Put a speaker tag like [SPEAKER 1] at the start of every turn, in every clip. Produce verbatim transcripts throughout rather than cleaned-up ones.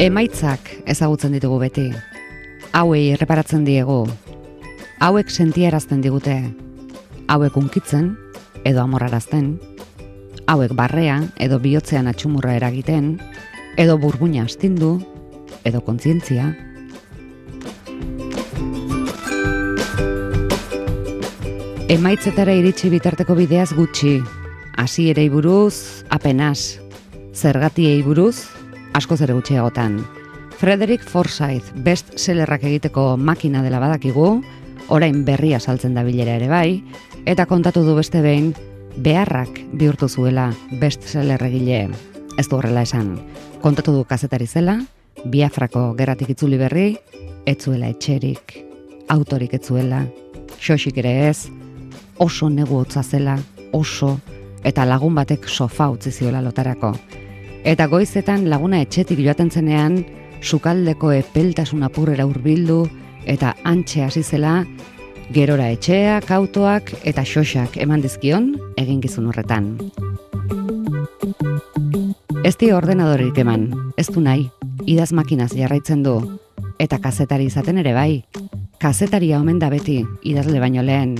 [SPEAKER 1] Emaitzak ezagutzen ditugu beti. Hauei erreparatzen diegu. Hauek sentiarazten digute. Hauek unkitzen edo amorrarazten. Hauek barrea edo bihotzean atxumurra eragiten, edo burbuina astindu, edo kontzientzia. Emaitzetara iritsi bitarteko bideaz gutxi, hasierei buruz apenas, zergatiei buruz askoz ere gutxiagotan. Frederick Forsyth bestsellerrak egiteko makina dela badakigu, orain berria saltzen da bilera ere bai, eta kontatu du beste behin, beharrak bihurtu zuela bestseller egile. Ez du horrela esan. Kontatu du kazetari zela, Biafrako gerratik itzuli berri, ez zuela etxerik, autorik ez zuela, xoxik ere ez, oso negu hotza zela, oso, eta lagun batek sofa utzi ziola lotarako. Eta goizetan laguna etxetik joaten zenean, sukaldeko epeltasun apurrera hurbildu eta antxe hasi zela, gerora etxeak, autoak eta xoxak eman dizkion eginkizun horretan. Ez di ordenadorik eman, ez du nahi, idaz makinaz jarraitzen du, eta kazetari izaten ere bai. Kazetaria omen da beti, idazle baino lehen.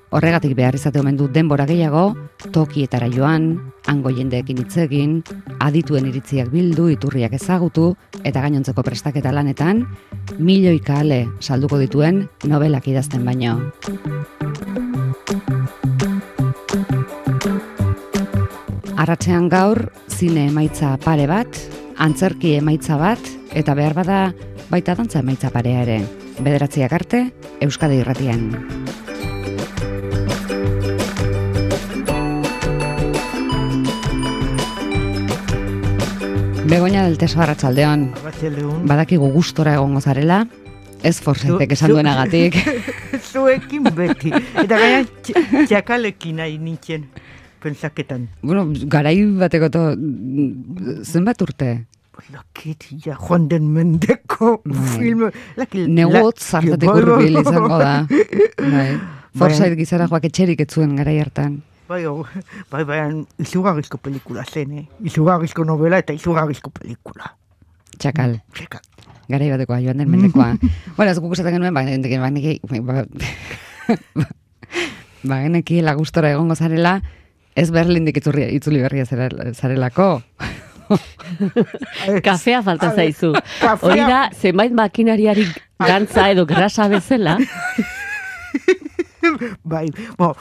[SPEAKER 1] Horregatik behar izate omen du denbora gehiago, tokietara joan, hango jendeekin hitz egin, adituen iritziak bildu, iturriak ezagutu, eta gainontzeko prestaketa lanetan, milioika ale salduko dituen nobelak idazten baino. Arratsean gaur, zine emaitza pare bat, antzerki emaitza bat, eta behar bada baita dantza emaitza parea ere. Bederatziak arte, Euskadi Irratian. Begoña del Teso, arratsaldeon. Badakigu gustora egongo zarela, ez Forsythek esan duenagatik.
[SPEAKER 2] Zuekin beti. Eta gaina txakalekin nahi nintzen pentsaketan.
[SPEAKER 1] Bueno, garai bateko to, zenbat urte?
[SPEAKER 2] Lakit, ja, joan den mendeko film.
[SPEAKER 1] Negot zartatik urbil izango da. Forsyth gizara joak etxerik ez zuen garai hartan.
[SPEAKER 2] Bai, bai, bai, izugarrizko pelikula zen, eh? Izugarrizko novela eta izugarrizko pelikula.
[SPEAKER 1] Txakal.
[SPEAKER 2] Txakal.
[SPEAKER 1] Garai batekoa, joan den mendekoa. Bueno, ez guk esaten genuen, ba, geneki, ba, ba, geneki lagustora egongo zarela, ez Berlindik itzuli berria zarelako.
[SPEAKER 3] Kafea falta zaizu. Hori da, zenbait makinariari gantza edo grasa bezala.
[SPEAKER 2] Bai, bo.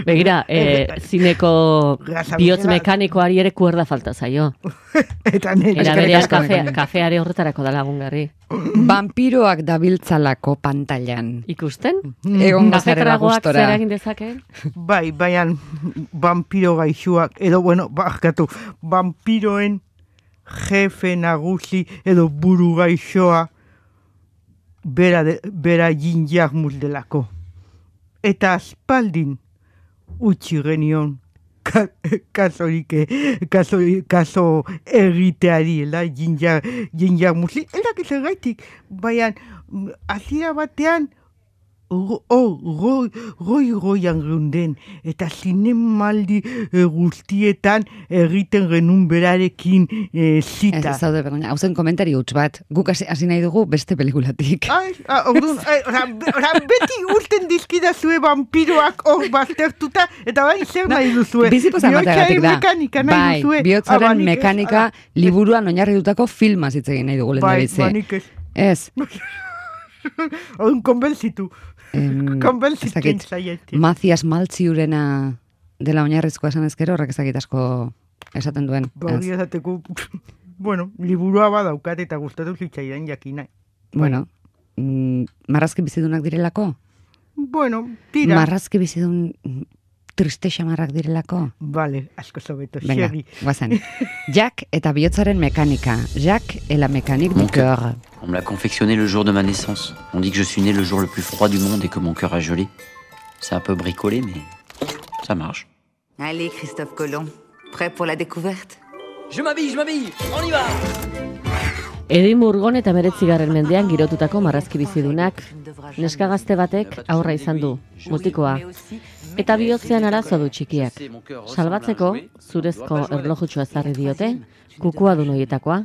[SPEAKER 3] Begira, eh, zineko bihotz mekanikoari ere kuerda falta zaio.
[SPEAKER 2] Eta nire.
[SPEAKER 3] Era berean kafea, kafeare horretarako da lagungarri.
[SPEAKER 1] Vampiroak dabiltzalako pantailan.
[SPEAKER 3] Ikusten?
[SPEAKER 1] Egon zarela gustora.
[SPEAKER 3] Zer egin dezakeen?
[SPEAKER 2] Bai, baian vampiro gaixuak, edo, bueno, bakatu, vampiroen jefe nagusi edo buru gaixoa bera, de, bera jinjak muldelako. Eta aspaldin utzi genion kasorik, kaso, kaso egiteari, ela, jinjak, jinjak musli. Elak ez egaitik, baina azira batean goi-goian geunden, eta zinemaldi e, guztietan egiten genuen berarekin e, zita.
[SPEAKER 1] Ez zaude, Begoña, hauzen komentari huts bat, guk hasi nahi dugu beste pelikulatik.
[SPEAKER 2] Ai, orduan, beti urten dizkida zue vampiroak hor baztertuta, eta bai zer nahi duzue.
[SPEAKER 1] Bizipozan bategatik da.
[SPEAKER 2] Mekanika nahi
[SPEAKER 1] bai,
[SPEAKER 2] duzue.
[SPEAKER 1] Bihotzaren mekanika liburuan oinarritutako filmaz hitz egin nahi dugu lehen da bizi.
[SPEAKER 2] Bai, banik ez.
[SPEAKER 1] Ez.
[SPEAKER 2] Orduan, konbentzitu.
[SPEAKER 1] Em,
[SPEAKER 2] Konbentzitzen zaieti.
[SPEAKER 1] Mazias Maltziurena dela oinarrizko esan ezkero, horrek ezakit asko esaten duen.
[SPEAKER 2] Bauri esateko, bueno, liburua badaukat eta gustatu zitzaidan jakina.
[SPEAKER 1] Bueno, mm, marrazki bizidunak direlako?
[SPEAKER 2] Bueno, tira.
[SPEAKER 1] Marrazki bizidun triste xamarrak direlako?
[SPEAKER 2] Vale, asko zobeto.
[SPEAKER 1] Venga, guazan. Jack eta bihotzaren mekanika. Jack et la mécanique du cœur.
[SPEAKER 4] On me l'a confectionné le jour de ma naissance. On dit que je suis né le jour le plus froid du monde et que mon cœur a gelé. C'est un peu bricolé, mais ça marche.
[SPEAKER 5] Allez, Christophe Colomb, prêt pour la découverte?
[SPEAKER 6] Je m'habille, je m'habille, on y va!
[SPEAKER 3] Edin Murgon eta meretzigarren mendean girotutako marrazki bizidunak. Neska gazte batek aurra izan du, mutikoa. Eta bihotzean arazo du txikiak. Salbatzeko, zurezko erlojutxoa ezarri diote, kukua du noietakoa,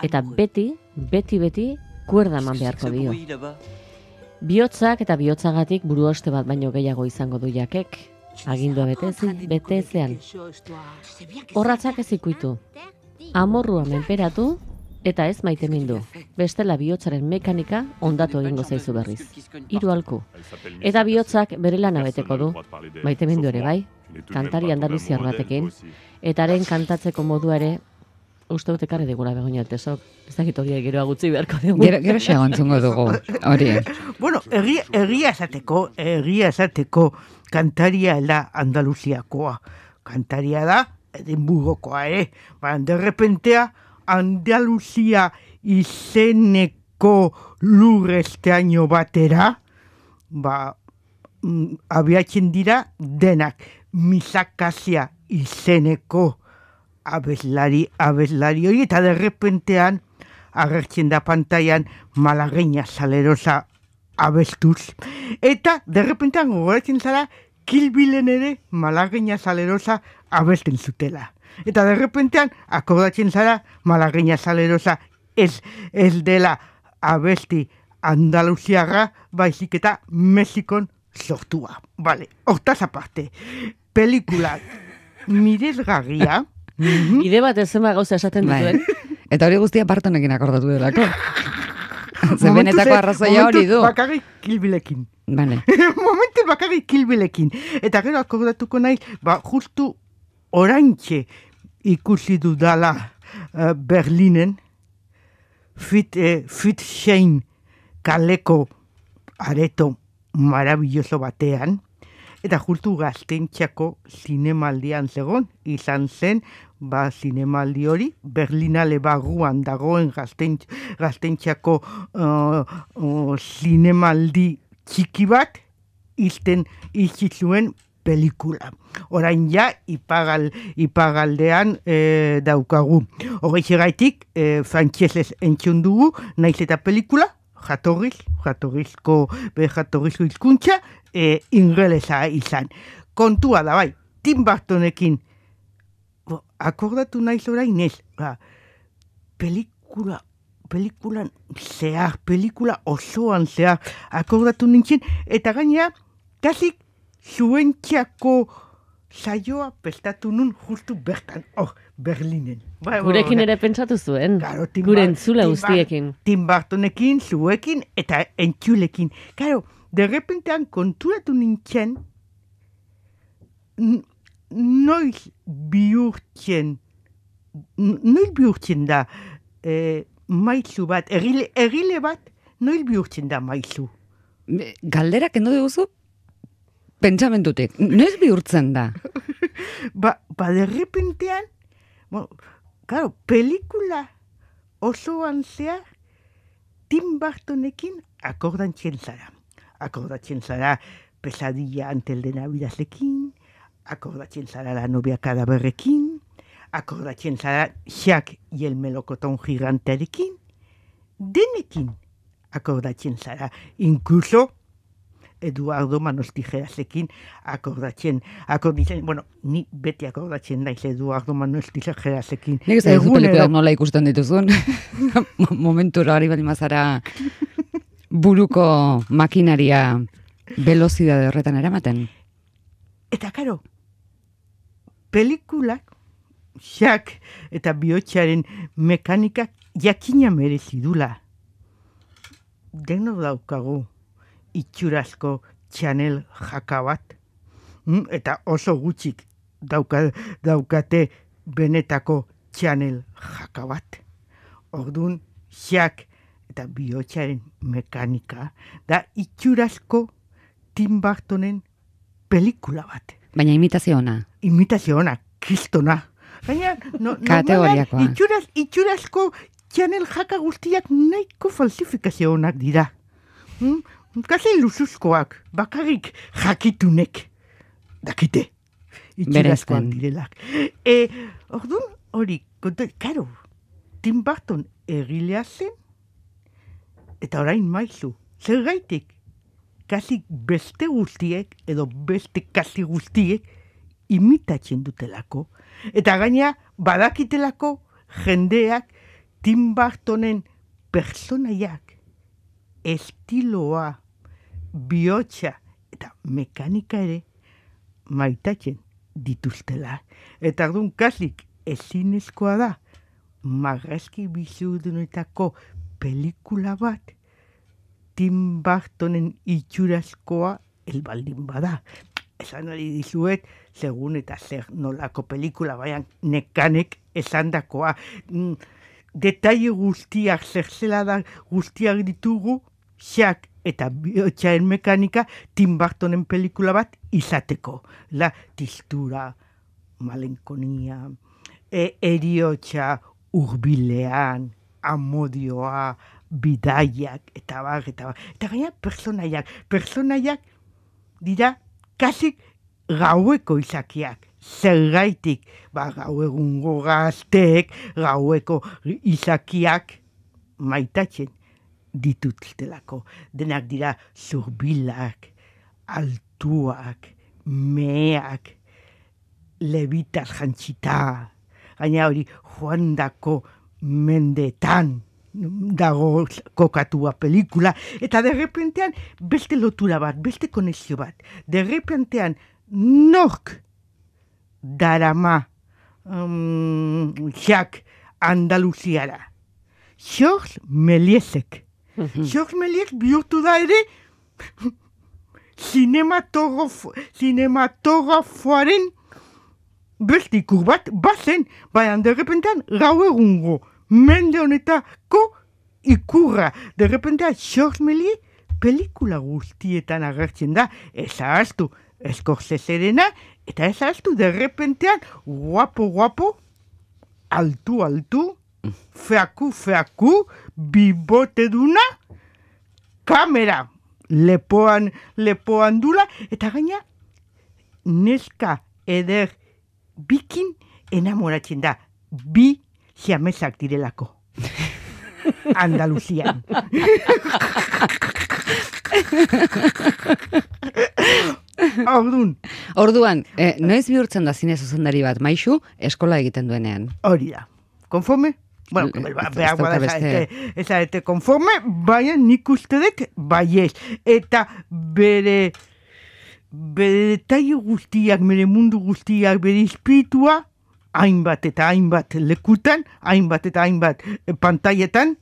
[SPEAKER 3] eta beti, beti, beti, kuerda eman beharko dio. Bihotzak eta bihotzagatik buruoste bat baino gehiago izango du jakek, agindua betezi, betezean. Horratzak ez ikuitu, amorrua menperatu, eta ez maitemindu. Bestela bihotzaren mekanika ondatu egingo zaizu berriz. Hiru halku. Eta bihotzak bere lana beteko du. Maitemindu ere bai, kantari andaluziar batekin. Eta haren kantatzeko modua ere, uste dut ekarri digula Begoña Altesok. Ez dakit hori geroa gutxi beharko dugu.
[SPEAKER 1] Gero, gero segontzungo dugu, hori.
[SPEAKER 2] Bueno, egia, egia esateko, egia esateko kantaria da Andaluziakoa. Kantaria da Edimburgokoa, eh? Ba, derrepentea, Andaluzia izeneko lurresteaino batera, ba, mm, abiatzen dira denak Misakasia izeneko abeslari, abeslari hori, eta derrepentean agertzen da pantailan Malagueña Salerosa abestuz. Eta derrepentean gogoratzen zara Kill Billen ere Malagueña Salerosa abesten zutela. Eta derrepentean akordatzen zara Malagueña Salerosa ez, ez dela abesti andaluziarra, baizik eta Mexikon sortua. Vale, hortaz aparte, pelikula miresgarria. Mm-hmm.
[SPEAKER 3] Ide bat ez zema gauza esaten dituen.
[SPEAKER 1] Eta hori guztia Bartonekin akordatu delako. Ze benetako arrazoia hori du.
[SPEAKER 2] Momentuz bakarrik Kill Billekin.
[SPEAKER 1] Vale.
[SPEAKER 2] Momentuz bakarrik Kill Billekin. Eta gero akordatuko nahi, ba, justu oraintxe ikusi dudala uh, Berlinen, fit, eh, fit Shane kaleko areto marabilloso batean, eta justu gaztentxako zinemaldian zegon, izan zen, ba, zinemaldi hori, Berlinale barruan dagoen gaztentx, gaztentxako uh, uh, zinemaldi txiki bat, izten izizuen pelikula. Orain ja, ipagal, ipagaldean e, daukagu. Horreixe gaitik, e, frantsesez entzun dugu, naiz eta pelikula, jatorriz, jatorrizko, be jatorrizko hizkuntza, e, ingelesa izan. Kontua da bai, Tim Burtonekin, bo, akordatu naiz orain ez, ba, pelikula, pelikulan zehar, pelikula osoan zehar, akordatu nintzen, eta gainea, kasik, zuentxako saioa prestatu nun justu bertan, hor, Berlinen. Ba,
[SPEAKER 3] Gurekin ere pentsatu zuen,
[SPEAKER 2] claro,
[SPEAKER 3] gure entzula guztiekin.
[SPEAKER 2] Tim Burtonekin, zuekin eta entzulekin. Claro, derrepentean konturatu nintzen, noiz bihurtzen, noiz bihurtzen da eh, maizu bat, egile, egile bat, noiz bihurtzen da maizu.
[SPEAKER 1] Galderak endo diguzu? Pentsamentutik, noiz bihurtzen da?
[SPEAKER 2] ba, ba derrepentean, bueno, claro, pelikula osoan zehar Tim Burtonekin akordatzen zara. Akordatzen zara Pesadilla antes de Navidadlekin, akordatzen zara La novia cadáverrekin, akordatzen zara Jack y el melocotón gigantearekin, denekin akordatzen zara, incluso Eduardo Manos Tijerasekin akordatzen, akordatzen, bueno, ni beti akordatzen naiz Eduardo Manos Tijerasekin.
[SPEAKER 1] Nik ez da pelikuak nola ikusten dituzun. Momentura hori bali mazara buruko makinaria velozidade horretan eramaten.
[SPEAKER 2] Eta karo, pelikulak, Jack eta bihotzaren mekanikak jakina merezidula. Deno daukagu itxurazko Chanel jaka bat, mm? Eta oso gutxik dauka, daukate benetako Chanel jaka bat. Orduan, Jack eta bihotzaren mekanika da itxurazko Tim Burtonen pelikula bat.
[SPEAKER 1] Baina imitazio ona.
[SPEAKER 2] Imitazio ona, kristona. Baina, no,
[SPEAKER 1] kategoriakoa.
[SPEAKER 2] Itxuraz, itxurazko Chanel jaka guztiak nahiko falsifikazio onak dira. Hmm? Kasi luzuzkoak, bakarrik jakitunek dakite. Itxurazkoak direlak. E, orduan, hori, karo, Tim Burton egilea zen, eta orain maizu, zer gaitik? kasik beste guztiek, edo beste kasi guztiek, imitatzen dutelako. Eta gaina, badakitelako jendeak Tim Burtonen personaiak, estiloa, bihotza eta mekanika ere maitatzen dituztela. Eta ardun kasik ezinezkoa da, marrazki bizudunetako pelikula bat, Tim Burtonen itxurazkoa elbaldin bada. Esan hori dizuet, segun eta zer nolako pelikula, baina nekanek esan dakoa. Mm, detaile guztiak, zerzela da guztiak ditugu, xak eta bihotxaren mekanika Tim Burtonen pelikula bat izateko. La tistura, malenkonia, e, eriotxa, urbilean, amodioa, bidaiak, eta bar, eta bar. Eta gaina personaiak. Personaiak dira kasik gaueko izakiak. Zergaitik, ba, gau egungo gazteek, gaueko izakiak maitatzen dituztelako. Denak dira zurbilak, altuak, meak, lebitas jantzita. Gaina hori joandako mendetan dago kokatua pelikula, eta derrepentean beste lotura bat, beste konexio bat. Derrepentean nork darama um, jak Andaluziara. George Mélièsek. George Méliès bihurtu da ere cinematografo, cinematografoaren beste ikur bat, bazen, baina derrepentean gau egungo mende honetako ikurra. Derrepentean George Méliès pelikula guztietan agertzen da, ez ahaztu Scorseserena, eta ez ahaztu derrepentean guapo, guapo, altu, altu, feaku, feaku, bibote duna, kamera, lepoan, lepoan dula, eta gaina neska eder bikin enamoratzen da, bi siamesak direlako. Andaluzian. Ordun.
[SPEAKER 1] Orduan, eh, noiz bihurtzen da zine zuzendari bat, Maixu, eskola egiten duenean?
[SPEAKER 2] Hori da. Konforme? Bueno, behar bada ez arete konforme, baina nik uste dut baiez. Eta bere bere detaile guztiak, bere mundu guztiak, bere espiritua, hainbat eta hainbat lekutan, hainbat eta hainbat pantailetan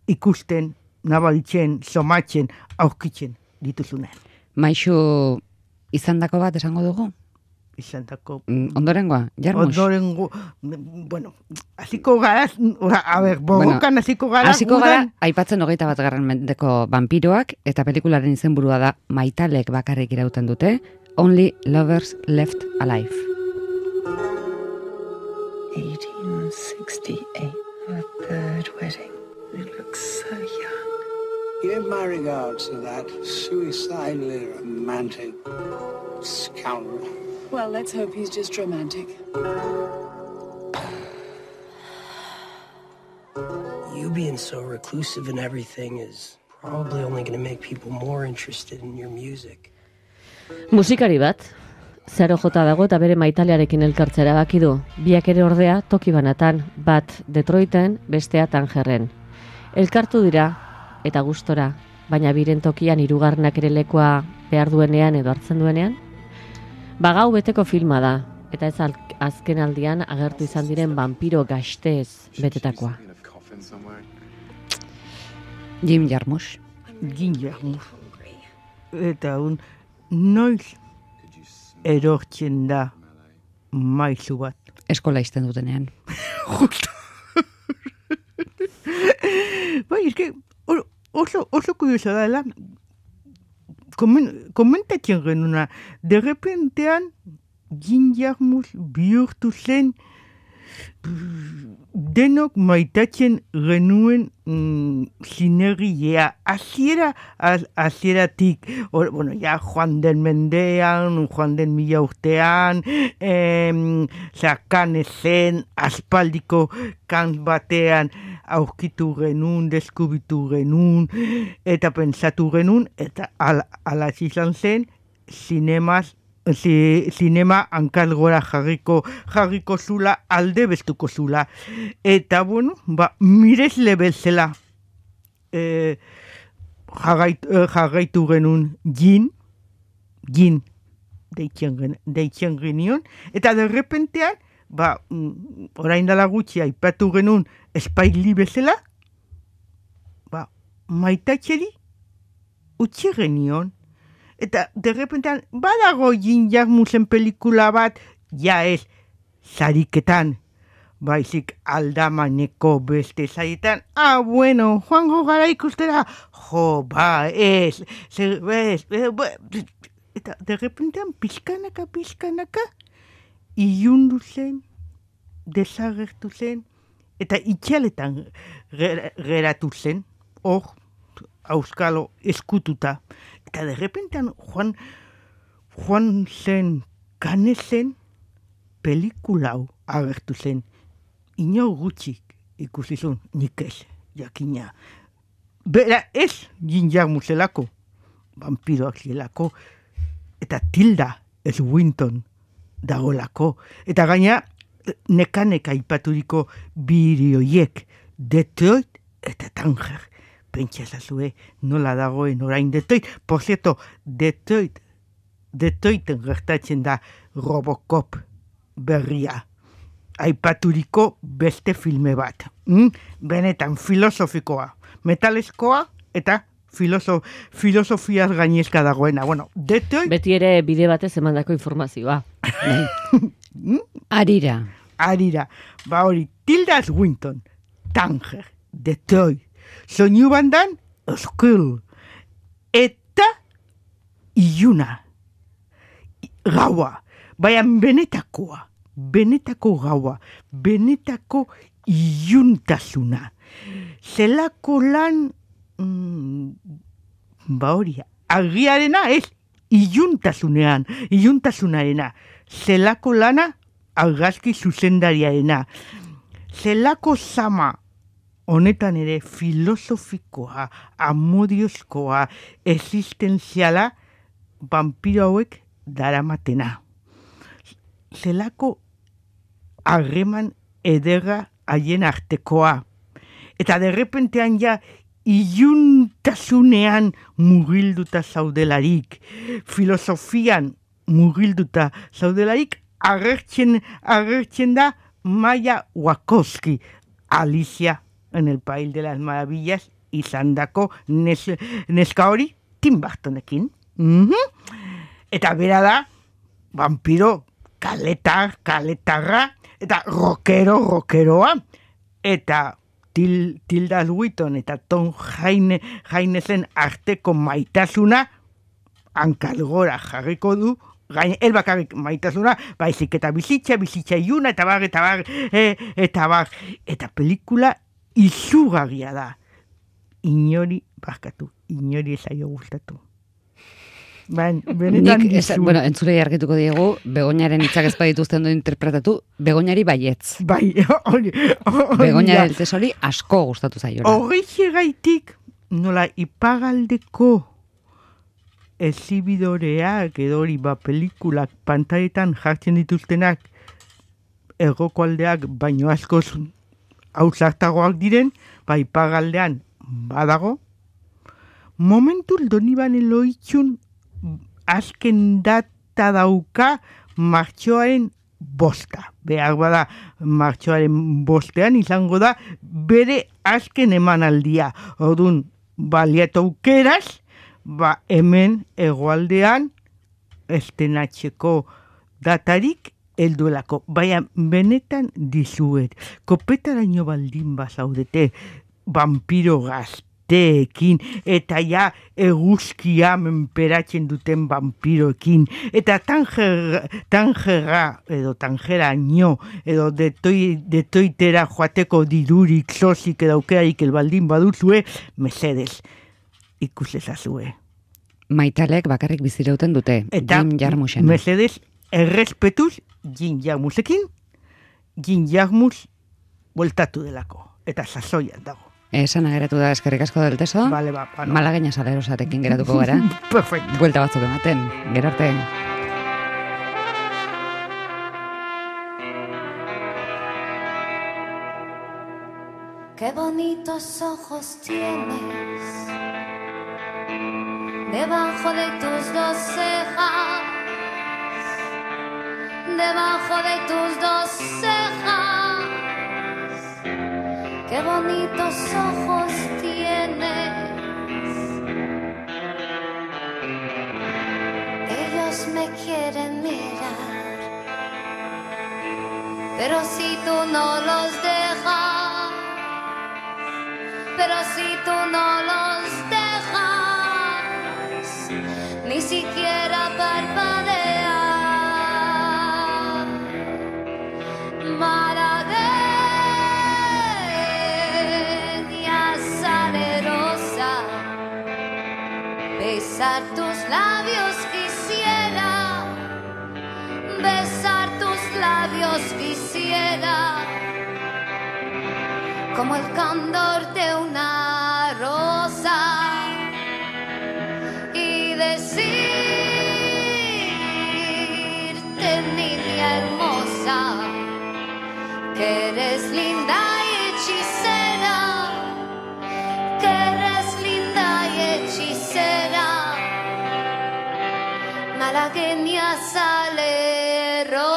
[SPEAKER 2] ikusten, nabaritzen, somatzen, aurkitzen dituzunen.
[SPEAKER 1] Maixu, izandako bat esango dugu?
[SPEAKER 2] Izandako...
[SPEAKER 1] Mm, ondorengoa, Jarmus?
[SPEAKER 2] Ondorengo, bueno, hasiko gara, a ber, borrokan hasiko gara.
[SPEAKER 1] Hasiko gara, aipatzen hogeita bat garren mendeko vampiroak, eta pelikularen izenburua da maitalek bakarrik irauten dute, Only Lovers Left Alive.
[SPEAKER 7] eighteen sixty-eight, our third wedding. You look so young.
[SPEAKER 8] Give my regards to that suicidally romantic scoundrel.
[SPEAKER 7] Well, let's hope he's just romantic.
[SPEAKER 9] You being so reclusive and everything is probably only going to make people more interested in your music.
[SPEAKER 3] Musikari bat, zero jota dago eta bere maitalearekin elkartzera baki du. Biak ere ordea toki banatan, bat Detroiten, bestea Tangerren. Elkartu dira eta gustora, baina biren tokian hirugarrenak ere lekoa behar duenean edo hartzen duenean. Bagau beteko filma da, eta ez azken aldian agertu izan diren vampiro gaztez betetakoa.
[SPEAKER 1] Jim Jarmusch.
[SPEAKER 2] Jim Jarmusch. Eta un noiz erortzen da maizu bat.
[SPEAKER 1] Eskola izten dutenean.
[SPEAKER 2] Justo. Bai, es que oso, oso kurioso da, la, komentatzen genuna, de repentean Jim Jarmusch bihurtu zen denok maitatzen genuen mm, sinergia, hasiera hasieratik, bueno, ja joan den mendean, joan den mila urtean, em, zakan ezen aspaldiko kant batean aurkitu genuen, deskubitu genuen, eta pentsatu genuen, eta ala, ala izan zen, zinemaz, zi, zinema hankal gora jarriko, jarriko zula, alde bestuko zula. Eta, bueno, ba, miresle bezala e, jarraitu, jarraitu genuen gin, gin, deitzen genion, eta derrepentean, ba, orain dala gutxi aipatu genuen espaili bezala, ba, maitatxeri utzi genion. Eta derrepentean, badago Jim Jarmusen pelikula bat, ja ez, zariketan, baizik aldamaneko beste zaietan, ah, bueno, joango gara ikustera, jo, ba, ez, zer, ez, ez, eta derrepentean, pizkanaka, pizkanaka, ilundu zen, desagertu zen, eta itxaletan geratu zen, hor, auskalo eskututa. Eta derrepentean, joan, joan zen, kane zen, pelikulau agertu zen. Ino gutxik ikusizun, nik ez, jakina. Bera ez Jim Jarmuselako, vampiroak zielako, eta Tilda Swinton dagolako. Eta gaina, nekaneka ipaturiko birioiek, Detroit eta Tanger. Pentsa ezazue, nola dagoen orain Detroit. Por cierto, Detroit, Detroiten gertatzen da Robocop berria. Aipaturiko beste filme bat. Mm? Benetan filosofikoa, metalezkoa eta Filosof, filosofiaz gainezka dagoena. Bueno, Detroit...
[SPEAKER 3] Beti ere bide batez emandako informazioa.
[SPEAKER 1] Arira.
[SPEAKER 2] Arira. Ba hori, Tilda Swinton, Tanger, Detroit, soinu bandan, Skull, eta iluna, gaua, baina benetakoa, benetako gaua, benetako iluntasuna. Zelako lan... Mm, ba hori, agiarena ez, iluntasunean, iluntasunarena, zelako lana argazki zuzendariarena, zelako zama honetan ere filosofikoa, amodiozkoa, existenziala, vampiro hauek daramatena. Zelako harreman ederra haien artekoa. Eta derrepentean ja, iluntasunean mugilduta zaudelarik, filosofian mugilduta zaudelarik, agertzen, agertzen da Maya Wachowski, Alicia en el País de las Maravillas, izandako nes, neska hori Tim Burtonekin. Mm-hmm. Eta bera da, vampiro kaletar, kaletarra, eta rockero, rockeroa, eta Til, Tilda Swinton eta Tom Haine, Hainezen arteko maitasuna hankalgora jarriko du, gain, el bakarrik maitasuna, baizik eta bizitza, bizitza iuna, eta bar, eta bar, e, eta bar, eta pelikula izugarria da. Inori, barkatu, inori ezaio gustatu. Ben, benetan
[SPEAKER 1] Nik, ez, bueno, entzulei argituko diegu, Begoñaren hitzak ez badituzten du interpretatu, Begoñari baietz.
[SPEAKER 2] Bai, hori.
[SPEAKER 1] Begoñaren tesori asko gustatu zaio.
[SPEAKER 2] Hori gaitik, nola ipagaldeko ezibidoreak edo hori ba pelikulak pantailetan jartzen dituztenak erroko aldeak baino askoz hausartagoak diren, ba ipagaldean badago. Momentul Doniban Eloitxun azken data dauka martxoaren bosta. Behar bada martxoaren bostean izango da bere azken emanaldia. Orduan, baliat aukeraz, ba hemen hegoaldean estenatzeko datarik helduelako. Baina benetan dizuet, kopetaraino baldin bazaudete vampiro gazte, Teekin, eta ja eguzkia menperatzen duten vampiroekin, eta tanger, tangera, edo tangeraino, edo detoi, detoitera joateko dirurik, sozik edo aukerarik elbaldin baduzue, mesedez, ikusezazue.
[SPEAKER 1] Maitalek bakarrik bizirauten dute,
[SPEAKER 2] eta,
[SPEAKER 1] Jim Jarmusen.
[SPEAKER 2] Mesedez, errespetuz Jim Jarmusekin, Jim Jarmus voltatu delako. eta sasoian dago.
[SPEAKER 1] Esan ageratu da eskerrik asko del teso.
[SPEAKER 2] Vale, ba, bueno.
[SPEAKER 1] Malagueña salerosarekin geratuko gara.
[SPEAKER 2] Perfecto.
[SPEAKER 1] Buelta batzuk ematen, gerarte.
[SPEAKER 10] Qué bonitos ojos tienes debajo de tus dos cejas, debajo de tus dos cejas. Qué bonitos ojos tienes. Ellos me quieren mirar, pero si tú no los dejas, pero si tú no los dejas, ni siquiera parpadear. Malagueña salerosa, besar tus labios quisiera, besar tus labios quisiera, como el candor de una rosa, y decirte, niña hermosa, que eres linda y hechicera, que eres linda y hechicera, malagueña salerosa.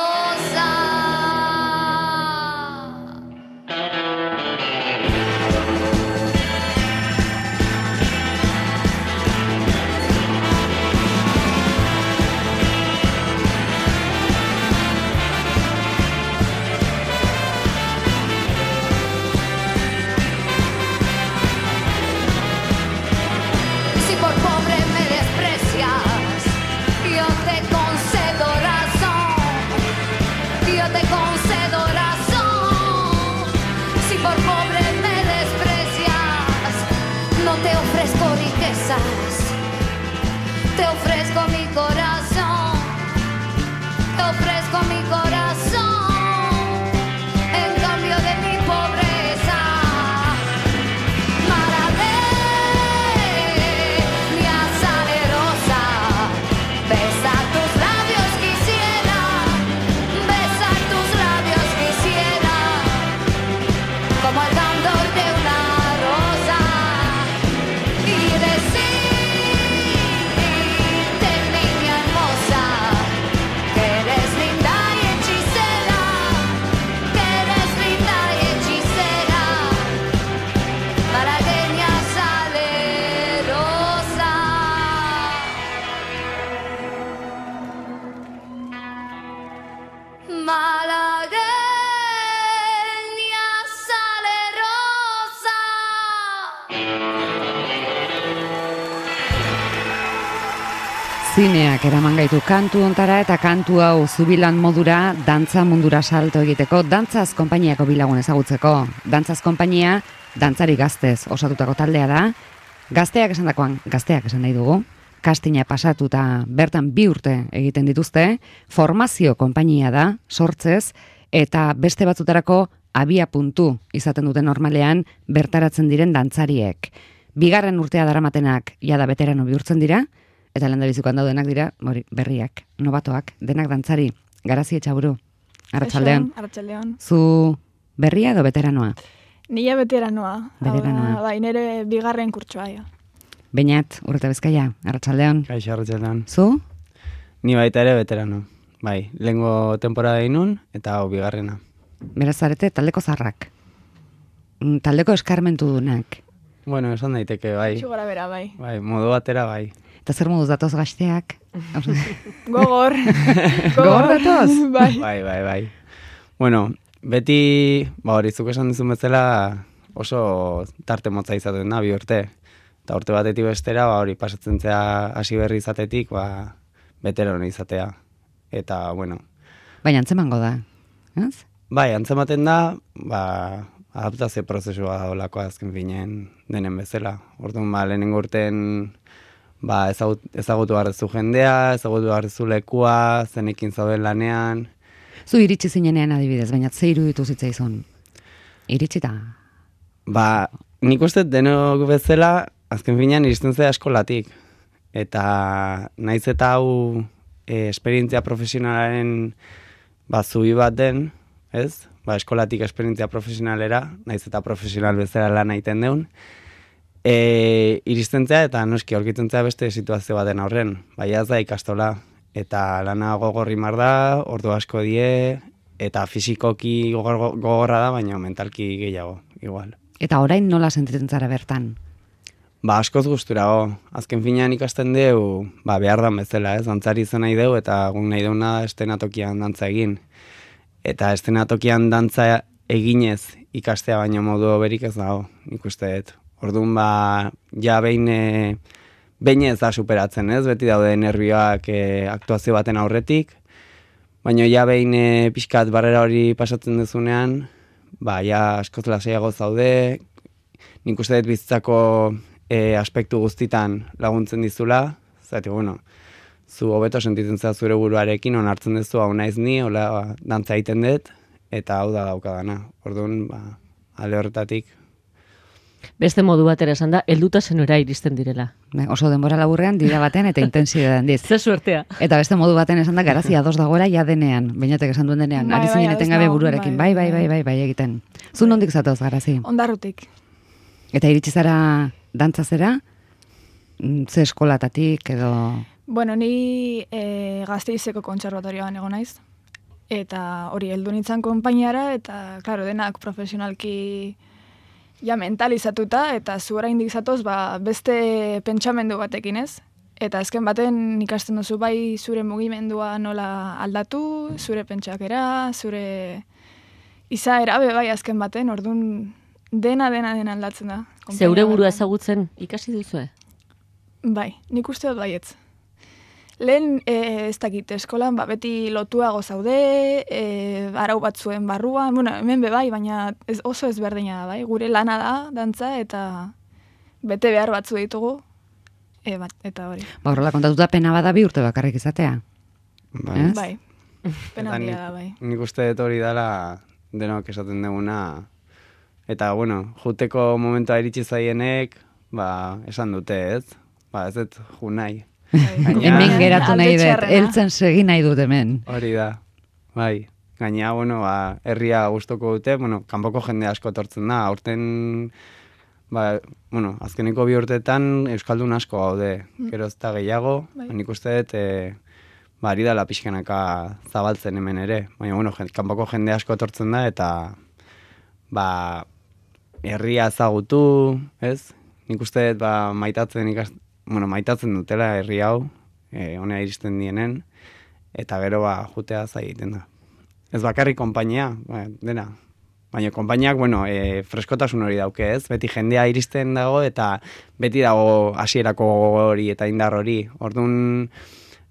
[SPEAKER 10] Te ofrezco mi corazón, te ofrezco mi corazón, en cambio de mi pobreza. Malagueña salerosa, besar tus labios quisiera, besar tus labios quisiera, como el candor de una rosa, y decir,
[SPEAKER 1] Zineak eraman gaitu kantu ontara eta kantu hau zubilan modura dantza mundura salto egiteko, dantzaz konpainiako bilagun ezagutzeko. Dantzaz konpainia, dantzari gaztez osatutako taldea da. Gazteak esan dakoan, gazteak esan nahi dugu. Kastina pasatuta bertan bi urte egiten dituzte. Formazio konpainia da, sortzez, eta beste batzutarako abia puntu izaten duten normalean bertaratzen diren dantzariek. Bigarren urtea daramatenak jada veterano bihurtzen dira, eta lehendabizikoan daudenak dira, hori, berriak, nobatoak, denak dantzari. Garazi Etxaburu, arratsaldean.
[SPEAKER 11] Arratsaldean.
[SPEAKER 1] Zu berria edo veteranoa?
[SPEAKER 11] Nila veteranoa.
[SPEAKER 1] Veteranoa.
[SPEAKER 11] Bai, nire bigarren kurtsoa. Ja.
[SPEAKER 1] Beñat, Urreta Bizkaia, arratsaldean.
[SPEAKER 12] Kaixo, arratsaldean.
[SPEAKER 1] Zu?
[SPEAKER 12] Ni baita ere veterano. Bai, lehengo temporada inun eta hau bigarrena.
[SPEAKER 1] Beraz zarete taldeko zarrak. Taldeko eskarmentu dunak.
[SPEAKER 12] Bueno, esan daiteke, bai.
[SPEAKER 11] Txugora bera, bai.
[SPEAKER 12] Bai, modu batera, bai.
[SPEAKER 1] Eta zer moduz datoz gazteak?
[SPEAKER 11] Gogor.
[SPEAKER 1] Gogor datoz?
[SPEAKER 11] Bai.
[SPEAKER 12] Bai, bai, bai. Bueno, beti, ba hori zuk esan dizun bezala oso tarte motza izaten da, bi urte. Eta urte batetik bestera, ba hori pasatzen zea hasi berri izatetik, ba veterano izatea. Eta, bueno.
[SPEAKER 1] Baina antzemango da, ez?
[SPEAKER 12] Bai, antzematen da, ba, adaptazio prozesua daulako azken finen denen bezala. Orduan, ba, lehenengo urten ba, ezagut, ezagutu garrezu jendea, ezagutu garrezu lekua, zenekin zauden lanean.
[SPEAKER 1] Zu iritsi zinenean adibidez, baina ze iruditu zitzaizun? Iritsita?
[SPEAKER 12] Ba, nik uste denok bezala, azken finean iristen zera eskolatik. Eta naiz eta hau e, esperientzia profesionalaren ba, zubi bat den, ez? Ba, eskolatik esperientzia profesionalera, naiz eta profesional bezala lan egiten deun. E, iristen zera eta noski aurkitzen zera beste situazio baten aurren. Bai, ez da ikastola. Eta lana gogorri mar da, ordu asko die, eta fizikoki gogor, gogorra da, baina mentalki gehiago, igual.
[SPEAKER 1] Eta orain nola sentitzen zara bertan?
[SPEAKER 12] Ba, askoz gusturago. Azken finean ikasten deu, ba, behar dan bezala, ez? Dantzari izan nahi deu, eta guk nahi deuna estenatokian dantza egin. Eta estenatokian dantza eginez ikastea baino modu berik ez dago, nik uste dut. Orduan, ba, ja behin... E, Behin ez da superatzen, ez? Beti daude nervioak e, aktuazio baten aurretik, baina ja behin e, pixkat barrera hori pasatzen duzunean, ba, ja askoz lasaiago zaude, nik uste dut bizitzako e, aspektu guztitan laguntzen dizula, zati, bueno, zu hobeto sentitzen zera zure buruarekin, onartzen duzu hau naiz ni, hola dantza egiten dut, eta hau da daukadana. Orduan, ba, ale horretatik,
[SPEAKER 3] Beste modu batera esan da, helduta zenora iristen direla.
[SPEAKER 1] Ne, oso denbora laburrean dira baten eta intensidadean diz.
[SPEAKER 3] Ze suertea.
[SPEAKER 1] Eta beste modu baten esan da, garazia ados dagoela ja denean, bainatek esan duen denean,
[SPEAKER 11] bai,
[SPEAKER 1] ari zinen
[SPEAKER 11] bai,
[SPEAKER 1] etengabe
[SPEAKER 11] nago,
[SPEAKER 1] buruarekin, bai, bai, bai, bai, bai, egiten. Zu nondik zatoz, Garazi?
[SPEAKER 11] Ondarrutik.
[SPEAKER 1] Eta iritsi zara dantza zera, ze eskolatatik edo...
[SPEAKER 11] Bueno, ni e, Gasteizeko kontserbatorioan egon naiz, eta hori heldu nintzen konpainiara, eta, klaro, denak profesionalki... ja mentalizatuta, eta zu oraindik zatoz, ba, beste pentsamendu batekin, ez? Eta azken baten ikasten duzu bai zure mugimendua nola aldatu, zure pentsakera, zure izaera be bai azken baten, ordun dena dena dena aldatzen da.
[SPEAKER 3] Zeure burua ezagutzen ikasi duzue?
[SPEAKER 11] Bai, nik uste dut baietz. Lehen, e, ez dakit, eskolan, ba, beti lotuago zaude, e, arau batzuen barruan, bueno, hemen be bai, baina ez, oso ezberdina da, bai, gure lana da, dantza, eta bete behar batzu ditugu, e, bat, eta hori.
[SPEAKER 1] Ba, horrela kontatuta pena bada bi urte bakarrik izatea.
[SPEAKER 12] Bai.
[SPEAKER 11] Bai, pena handia da, bai.
[SPEAKER 12] Nik uste dut hori dela denok esaten duguna, eta, bueno, juteko momentua iritsi zaienek, ba, esan dute, ez? Ba, ez dut ju nahi.
[SPEAKER 1] Hemen geratu nahi dut, heltzen segi nahi dut hemen.
[SPEAKER 12] Hori da, bai. Gaina, bueno, ba, herria gustoko dute, bueno, kanpoko jende asko etortzen da, aurten, ba, bueno, azkeneko bi urteetan euskaldun asko gaude, gero ez da gehiago, bai. Nik uste dut, e, ba, ari dala pixkanaka zabaltzen hemen ere, baina, bueno, kanpoko jende asko etortzen da, eta, ba, herria ezagutu, ez? Nik uste dut, ba, maitatzen ikast, bueno, maitatzen dutela herri hau, e, honea iristen dienen, eta gero ba, jutea zaiten da. Ez bakarrik konpainia, ba, dena. Baina konpainiak, bueno, e, freskotasun hori dauke, ez? Beti jendea iristen dago, eta beti dago hasierako hori eta indar hori. Orduan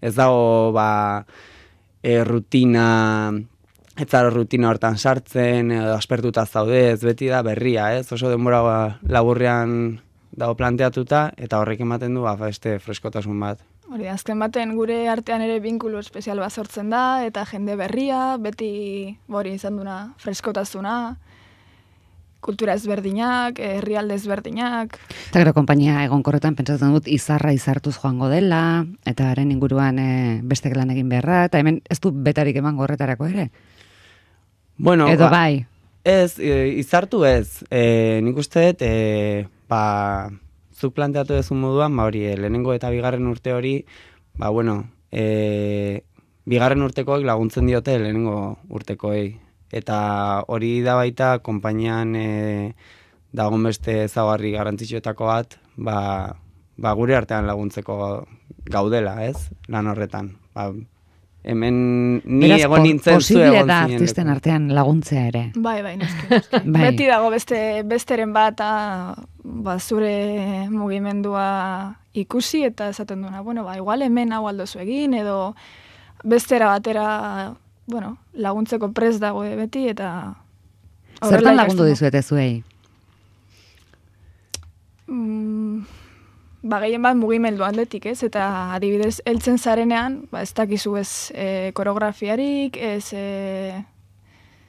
[SPEAKER 12] ez dago, ba, e, rutina, ez zara rutina hortan sartzen, edo aspertuta zaude, ez beti da berria, ez? Oso denbora ba, laburrean dago planteatuta, eta horrek ematen du, ba, beste freskotasun bat.
[SPEAKER 11] Hori, azken baten gure artean ere binkulu espezial bat sortzen da, eta jende berria, beti hori izan duna freskotasuna, kultura ezberdinak, herrialde ezberdinak.
[SPEAKER 1] Eta gero konpainia egonkorretan pentsatzen dut izarra izartuz joango dela, eta haren inguruan e, beste lan egin beharra, eta hemen ez du betarik eman gorretarako ere?
[SPEAKER 12] Bueno,
[SPEAKER 1] edo
[SPEAKER 12] ba,
[SPEAKER 1] bai?
[SPEAKER 12] Ez, e, izartu ez. E, nik uste dut, e, ba, zuk planteatu duzun moduan, ba hori, lehenengo eta bigarren urte hori, ba, bueno, e, bigarren urtekoek laguntzen diote lehenengo urtekoei. Eta hori da baita, konpainian e, dagoen beste ezaugarri garrantzitsuetako bat, ba, ba, gure artean laguntzeko gaudela, ez? Lan horretan. Ba, hemen ni
[SPEAKER 1] Beraz,
[SPEAKER 12] egon nintzen zu egon zinen.
[SPEAKER 1] Posible da artisten artean laguntzea ere.
[SPEAKER 11] Bai, bai, noski, noski. Bai. Beti dago beste besteren bat ba, zure mugimendua ikusi eta esaten duena, bueno, ba, igual hemen hau aldozu egin, edo bestera batera, bueno, laguntzeko prest dago beti, eta...
[SPEAKER 1] Zertan lagundu dizuete zuei?
[SPEAKER 11] Mm, ba, gehien bat mugimendu atletik, ez? Eta adibidez, heltzen zarenean, ba, ez dakizu ez e, koreografiarik, ez e,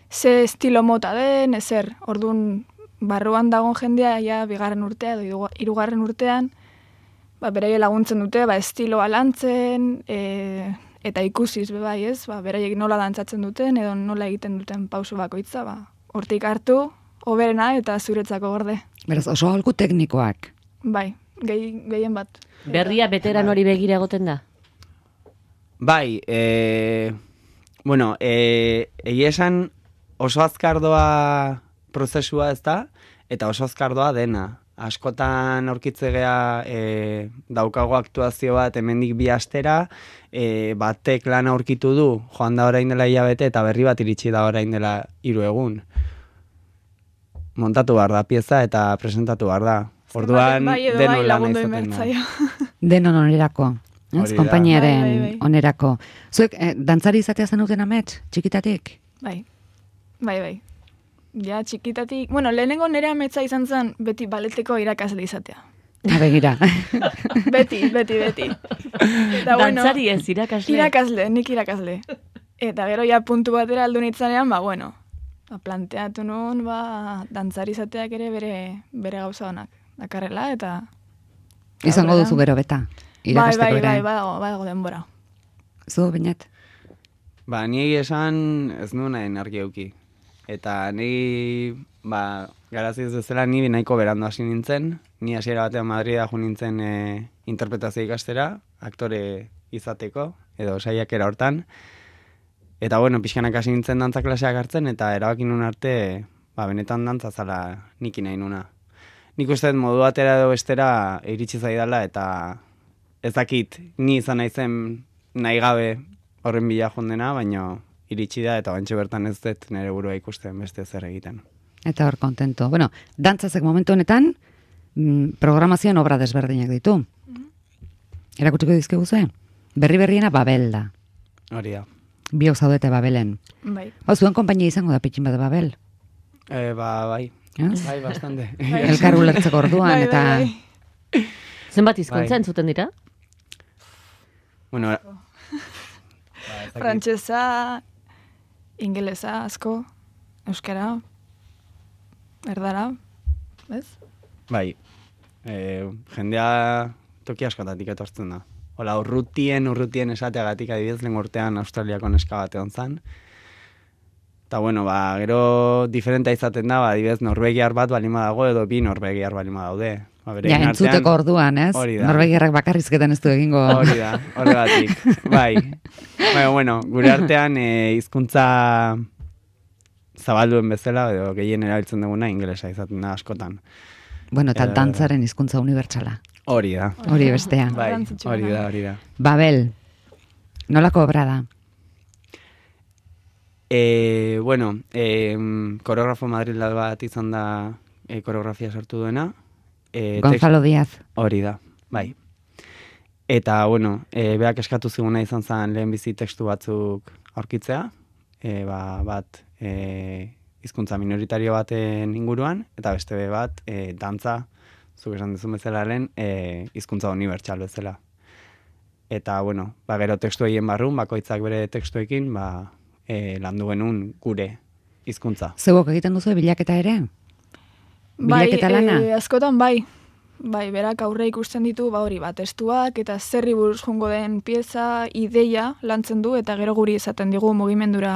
[SPEAKER 11] ze estilo mota den, ezer, orduan barruan dagoen jendea, ja, bigarren urtea, edo hirugarren urtean, ba, beraie laguntzen dute, ba, estiloa lantzen, e, eta ikusiz, be bai, ez, ba, beraiek nola dantzatzen duten, edo nola egiten duten pauso bakoitza, ba, hortik hartu, hoberena eta zuretzako gorde.
[SPEAKER 1] Beraz, oso aholku teknikoak.
[SPEAKER 11] Bai, gehi, gehien bat.
[SPEAKER 3] Berria beteran hori begira egoten da?
[SPEAKER 12] Bai, e, bueno, e, egia esan oso azkardoa prozesua ez da, eta oso azkardoa dena. Askotan aurkitzegea e, daukago aktuazio bat hemendik bi astera, e, batek lan aurkitu du, joan da orain dela hilabete, eta berri bat iritsi da orain dela hiru egun. Montatu behar da pieza eta presentatu behar da. Orduan
[SPEAKER 11] bai,
[SPEAKER 12] denon
[SPEAKER 11] bai,
[SPEAKER 12] lana izaten da.
[SPEAKER 1] Denon onerako, ez, konpainiaren
[SPEAKER 11] bai, bai, bai.
[SPEAKER 1] onerako. Zuek, eh, dantzari izatea zenuten amets, txikitatik?
[SPEAKER 11] Bai, bai, bai. Ja, txikitatik, bueno, lehenengo nire ametsa izan zen beti baleteko irakasle izatea.
[SPEAKER 1] Ha, begira.
[SPEAKER 11] beti, beti, beti. Eta,
[SPEAKER 3] dantzari ez, irakasle?
[SPEAKER 11] Irakasle, nik irakasle. Eta gero ja puntu batera aldu nitzanean, ba, bueno, ba, planteatu nuen, ba, dantzari izateak ere bere, bere gauza honak. Dakarrela, eta...
[SPEAKER 1] Izango duzu gero beta, irakasteko
[SPEAKER 11] bai,
[SPEAKER 1] ere.
[SPEAKER 11] bai, bai, badago, badago denbora.
[SPEAKER 1] Zu, Beñat?
[SPEAKER 12] Ba, ni esan ez nuen nahi argi euki. Eta ni, ba, garazi ez bezala, ni nahiko berandu hasi nintzen. Ni hasiera batean Madrida jo nintzen e, interpretazio ikastera, aktore izateko, edo saiakera hortan. Eta, bueno, pixkanak hasi nintzen dantza klaseak hartzen, eta erabaki nun arte, ba, benetan dantza zala niki nahi nuna. Nik uste dut modu batera edo bestera iritsi zaidala, eta ez dakit ni izan naizen nahi gabe horren bila jondena, baina iritsi da, eta bantxe bertan ez dut nire burua ikusten beste zer egiten.
[SPEAKER 1] Eta hor kontento. Bueno, dantzazek momentu honetan, mm, programazioan obra desberdinak ditu. Erakutsiko dizkigu zuen? Berri-berriena Babel da.
[SPEAKER 12] Hori da.
[SPEAKER 1] Biok zaudete Babelen.
[SPEAKER 11] Bai.
[SPEAKER 1] Hau, zuen konpainia izango da pitxin bat Babel?
[SPEAKER 12] E, ba, bai.
[SPEAKER 1] Yes?
[SPEAKER 12] Bai, bastante.
[SPEAKER 1] Elkar ulertzeko orduan,
[SPEAKER 11] bai,
[SPEAKER 1] eta...
[SPEAKER 11] bai, bai.
[SPEAKER 3] Zenbat hizkuntza entzuten dira?
[SPEAKER 12] Bueno,
[SPEAKER 11] Frantsesa, ingelesa, asko, euskara, erdara, ez?
[SPEAKER 12] bai. E, jendea toki askotatik etortzen da. Hola, urrutien, urrutien esateagatik adibidez lehen urtean Australiako neska bat egon zan. Eta, bueno, ba, gero diferenta izaten da, ba, adibidez, norvegiar bat balima dago, edo bi norvegiar balima daude. Ba,
[SPEAKER 1] ja, entzuteko orduan, ez? Norvegiarrak bakarrizketan ez du egingo.
[SPEAKER 12] Hori da, horregatik, bai. Baina, bueno, gure artean e, hizkuntza zabalduen bezala, edo gehien erabiltzen duguna, ingelesa izaten da askotan.
[SPEAKER 1] Bueno, eta dantzaren hizkuntza unibertsala.
[SPEAKER 12] Hori da.
[SPEAKER 1] Hori bestea.
[SPEAKER 12] Bai, hori da, hori da.
[SPEAKER 1] Babel, nolako obra da?
[SPEAKER 12] E, bueno, e, koreografo madrilal bat izan da e, koreografia sartu duena. E,
[SPEAKER 1] Gonzalo tekst... Díaz.
[SPEAKER 12] Hori da, bai. Eta, bueno, e, beak eskatu ziguna izan zen lehen bizi tekstu batzuk aurkitzea, e, ba, bat e, hizkuntza minoritario baten inguruan, eta beste be bat e, dantza, zuk esan duzun bezala lehen, e, hizkuntza unibertsal bezala. Eta, bueno, ba, gero tekstu egin barrun, bakoitzak bere tekstuekin, ba, e, landu genuen gure hizkuntza.
[SPEAKER 1] Zeuok egiten duzu bilaketa ere? Bilaketa
[SPEAKER 11] bai,
[SPEAKER 1] lana?
[SPEAKER 11] E, askotan bai. Bai, berak aurre ikusten ditu, ba hori, bat testuak eta zerri buruz jongo den pieza, ideia lantzen du, eta gero guri esaten digu mugimendura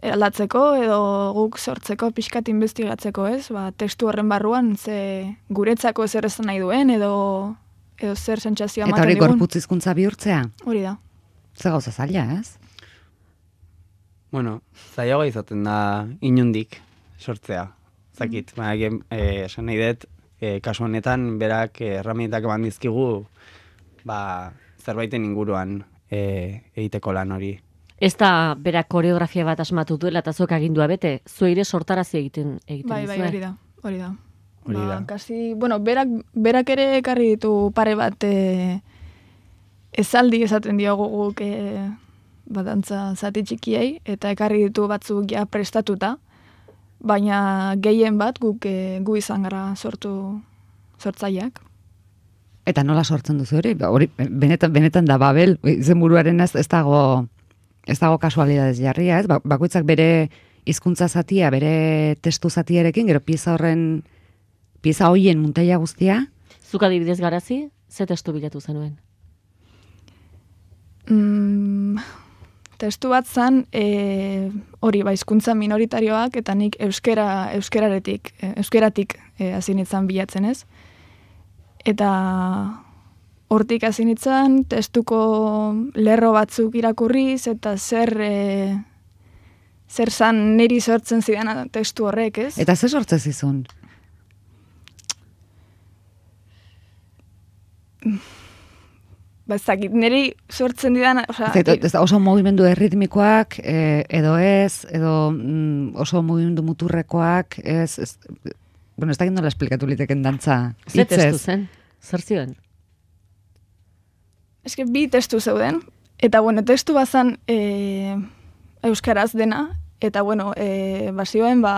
[SPEAKER 11] aldatzeko, edo guk sortzeko, pixkat investigatzeko, ez? Ba, testu horren barruan, ze guretzako zer esan nahi duen, edo, edo zer sentsazioa ematen digun.
[SPEAKER 1] Eta hori gorputz hizkuntza bihurtzea?
[SPEAKER 11] Hori da.
[SPEAKER 1] Ze gauza zaila, ez?
[SPEAKER 12] Bueno, zailagoa izaten da inundik sortzea. Zakit, mm. baina eh, esan nahi dut, e, kasu honetan berak erramintak eman dizkigu ba, zerbaiten inguruan e, egiteko lan hori.
[SPEAKER 3] Ez da berak koreografia bat asmatu duela eta zuek agindua bete, zueire sortarazi egiten egiten
[SPEAKER 11] bai,
[SPEAKER 3] dizue.
[SPEAKER 11] Bai, hori da, hori da.
[SPEAKER 12] Hori da.
[SPEAKER 11] Ba, kasi, bueno, berak, berak ere ekarri ditu pare bat e, ezaldi esaten diogu guk e, badantza zati txikiei, eta ekarri ditu batzuk ja prestatuta, baina gehien bat guk e, gu izan gara sortu sortzaileak.
[SPEAKER 1] Eta nola sortzen duzu hori? Hori benetan benetan da Babel izenburuaren ez, ez dago ez dago kasualidades jarria, ez? Bakoitzak bere hizkuntza zatia bere testu zatiarekin, gero pieza horren, pieza hoien muntaia guztia?
[SPEAKER 3] Zuk adibidez Garazi, ze testu bilatu zenuen?
[SPEAKER 11] Mm, testu bat zan, e, hori ba, hizkuntza minoritarioak, eta nik euskera, euskeraretik, euskeratik e, hasi nintzen bilatzen ez. Eta hortik hasi nintzen, testuko lerro batzuk irakurriz, eta zer, e, zer zan niri sortzen zidan testu horrek, ez?
[SPEAKER 1] Eta zer sortzen zizun?
[SPEAKER 11] Ba, ez dakit, niri sortzen didan... Osa,
[SPEAKER 1] ez da, oso mugimendu erritmikoak, e, edo ez, edo mm, oso mugimendu muturrekoak, ez, ez, bueno, ez dakit nola esplikatu liteken dantza.
[SPEAKER 3] Ze testu zen? Zer zioen?
[SPEAKER 11] Ez que bi testu zeuden, eta bueno, testu bazan e, euskaraz dena, eta bueno, e, bazioen ba,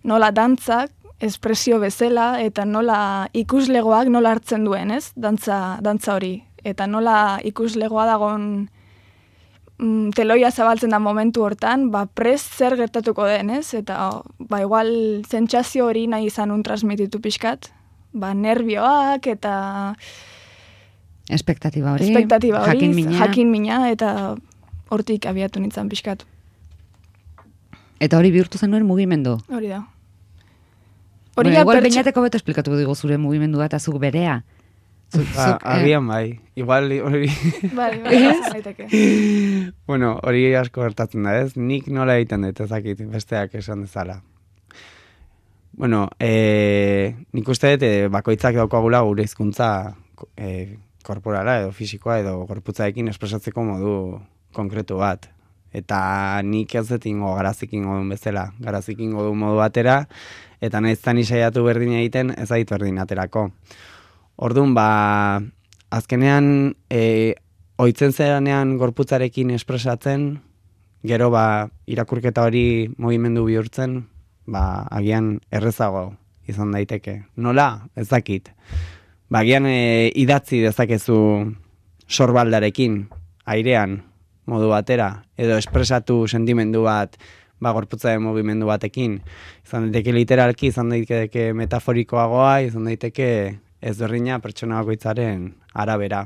[SPEAKER 11] nola dantzak, espresio bezala, eta nola ikuslegoak nola hartzen duen, ez? Dantza, dantza hori. Eta nola ikuslegoa dagon mm, teloia zabaltzen da momentu hortan, ba, prest zer gertatuko den, ez? Eta, ba, igual, zentsazio hori nahi izan un transmititu pixkat, ba, nervioak, eta...
[SPEAKER 1] Espektatiba hori,
[SPEAKER 11] Espektatiba hori,
[SPEAKER 1] jakin mina.
[SPEAKER 11] jakin mina, eta hortik abiatu nintzen pixkat.
[SPEAKER 1] Eta hori bihurtu zenuen mugimendu?
[SPEAKER 11] Hori da.
[SPEAKER 1] Hori bueno, igual pertsa... beñateko beto esplikatu digu zure mugimendua eta zuk berea.
[SPEAKER 12] Zuk, ba, agian bai. Igual hori...
[SPEAKER 11] Bai, bai,
[SPEAKER 12] bueno, hori asko gertatzen da, ez? Nik nola egiten dut, ezakit, besteak esan dezala. Bueno, e, nik uste dut, e, bakoitzak daukagula gure hizkuntza e, korporala edo fisikoa edo gorputzaekin espresatzeko modu konkretu bat. Eta nik ez dut ingo Garazik ingo duen bezala. Garazik ingo duen modu batera, eta nahiz zan isaiatu berdin egiten, ez ait berdin aterako. Orduan, ba, azkenean, e, oitzen zeranean gorputzarekin espresatzen, gero ba, irakurketa hori mugimendu bihurtzen, ba, agian errezago izan daiteke. Nola? Ez dakit. Ba, agian e, idatzi dezakezu sorbaldarekin, airean, modu batera, edo espresatu sentimendu bat, ba, gorputzaren mugimendu batekin. Izan daiteke literalki, izan daiteke metaforikoagoa, izan daiteke ezberdina pertsona bakoitzaren arabera.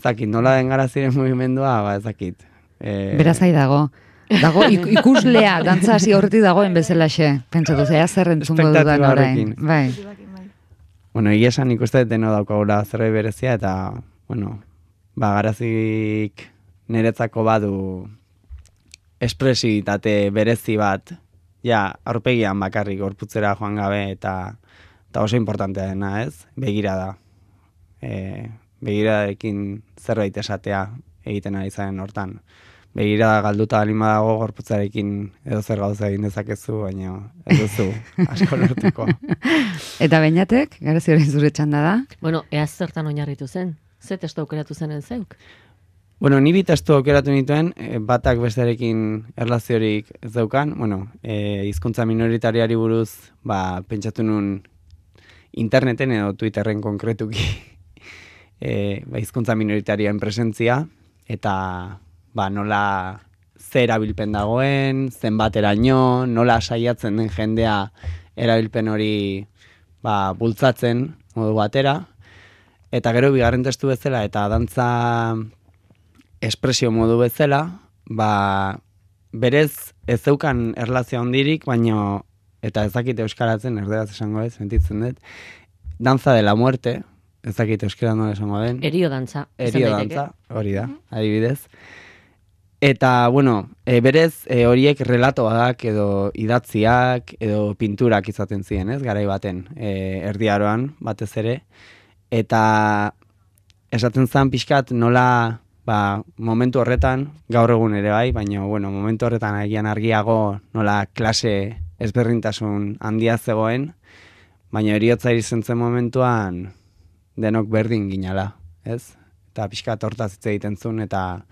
[SPEAKER 12] Zakit, nola den Garaziren mugimendua, ba, ezakit. E...
[SPEAKER 1] Berazai dago. Dago ikuslea, dantza hasi horretik dagoen bezalaxe. Pentsatu, zea zer entzungo dudan orain. Bai.
[SPEAKER 12] Bueno, egia esan ikuste deno daukagula zerbait berezia, eta, bueno, ba, Garazik niretzako badu espresibitate berezi bat, ja, aurpegian bakarrik gorputzera joan gabe, eta eta oso importantea dena, ez? Begirada. E, begiradarekin zerbait esatea egiten ari zaren hortan. Begirada galduta alima dago gorputzarekin edo zer gauza egin dezakezu, baina ez duzu asko lortuko.
[SPEAKER 1] Eta Beñatek, Garazi hori zure txanda da?
[SPEAKER 3] Bueno, ea zertan oinarritu zen? Ze testu aukeratu zenen zeuk?
[SPEAKER 12] Bueno, ni bi testu aukeratu nituen, batak bestearekin erlaziorik ez daukan. Bueno, e, hizkuntza minoritariari buruz, ba, pentsatu nun interneten edo Twitterren konkretuki e, ba, hizkuntza minoritarioen presentzia, eta ba, nola ze erabilpen dagoen, zenbateraino, nola saiatzen den jendea erabilpen hori ba, bultzatzen modu batera, eta gero bigarren testu bezala eta dantza espresio modu bezala, ba, berez ez zeukan erlazio handirik, baino eta ez dakit euskaratzen, erderaz esango ez, sentitzen dut, danza de la muerte, ez dakit euskara nola esango den.
[SPEAKER 3] Erio dantza.
[SPEAKER 12] Erio dantza, hori da, adibidez. Eta, bueno, e, berez, e, horiek relatoak edo idatziak edo pinturak izaten ziren, ez, garai baten, e, erdiaroan batez ere. Eta esaten zen pixkat nola, ba, momentu horretan, gaur egun ere bai, baina, bueno, momentu horretan agian argiago nola klase ezberdintasun handia zegoen, baina eriotza irizentzen momentuan denok berdin ginala, ez? Eta pixkat hortaz hitz egiten zuen, eta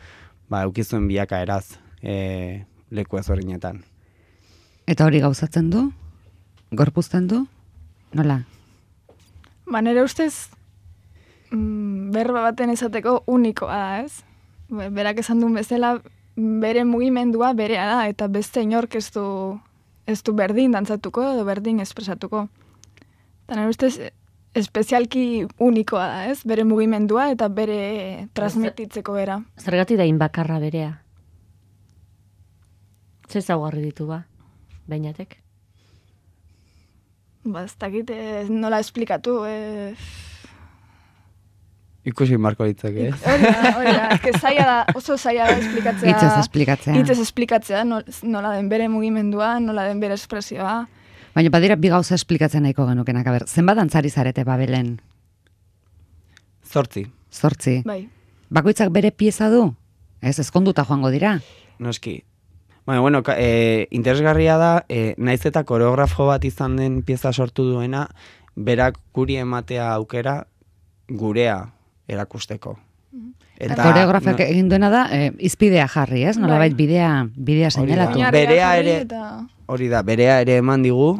[SPEAKER 12] ba, eukizuen bilaka eraz e, leku ezberdinetan.
[SPEAKER 1] Eta hori gauzatzen du? Gorpuzten du? Nola?
[SPEAKER 11] Ba, nire ustez, mm, berba baten esateko unikoa da, ez? Berak esan duen bezala, bere mugimendua berea da, eta beste inork ez du, ez du berdin dantzatuko edo berdin espresatuko. Eta nire ustez, espezialki unikoa da, ez? Bere mugimendua eta bere transmititzeko bera.
[SPEAKER 3] Zergatik da inbakarra berea? Ze zaugarri ditu ba, Beñatek?
[SPEAKER 11] Ba, ez dakit nola esplikatu, eh...
[SPEAKER 12] Ikusi marko ditzak, ez?
[SPEAKER 11] Hori da, hori da, ez zaila da, oso zaila da esplikatzea.
[SPEAKER 1] Itzez esplikatzea.
[SPEAKER 11] Itzez esplikatzea, nola den bere mugimendua, nola den bere espresioa.
[SPEAKER 1] Baina badira bi gauza esplikatzen nahiko genukenak, aber, zenbat dantzari zarete Babelen?
[SPEAKER 12] Zortzi.
[SPEAKER 1] Zortzi.
[SPEAKER 11] Bai.
[SPEAKER 1] Bakoitzak bere pieza du? Ez, ezkonduta joango dira?
[SPEAKER 12] Noski. Baina, bueno, e, interesgarria da, e, naiz eta koreografo bat izan den pieza sortu duena, berak guri ematea aukera gurea erakusteko.
[SPEAKER 1] Eta koreografak no, egin duena da, e, izpidea jarri, ez? Nolabait bidea, bidea seinalatu.
[SPEAKER 12] Berea ere, hori da, berea ere eman digu,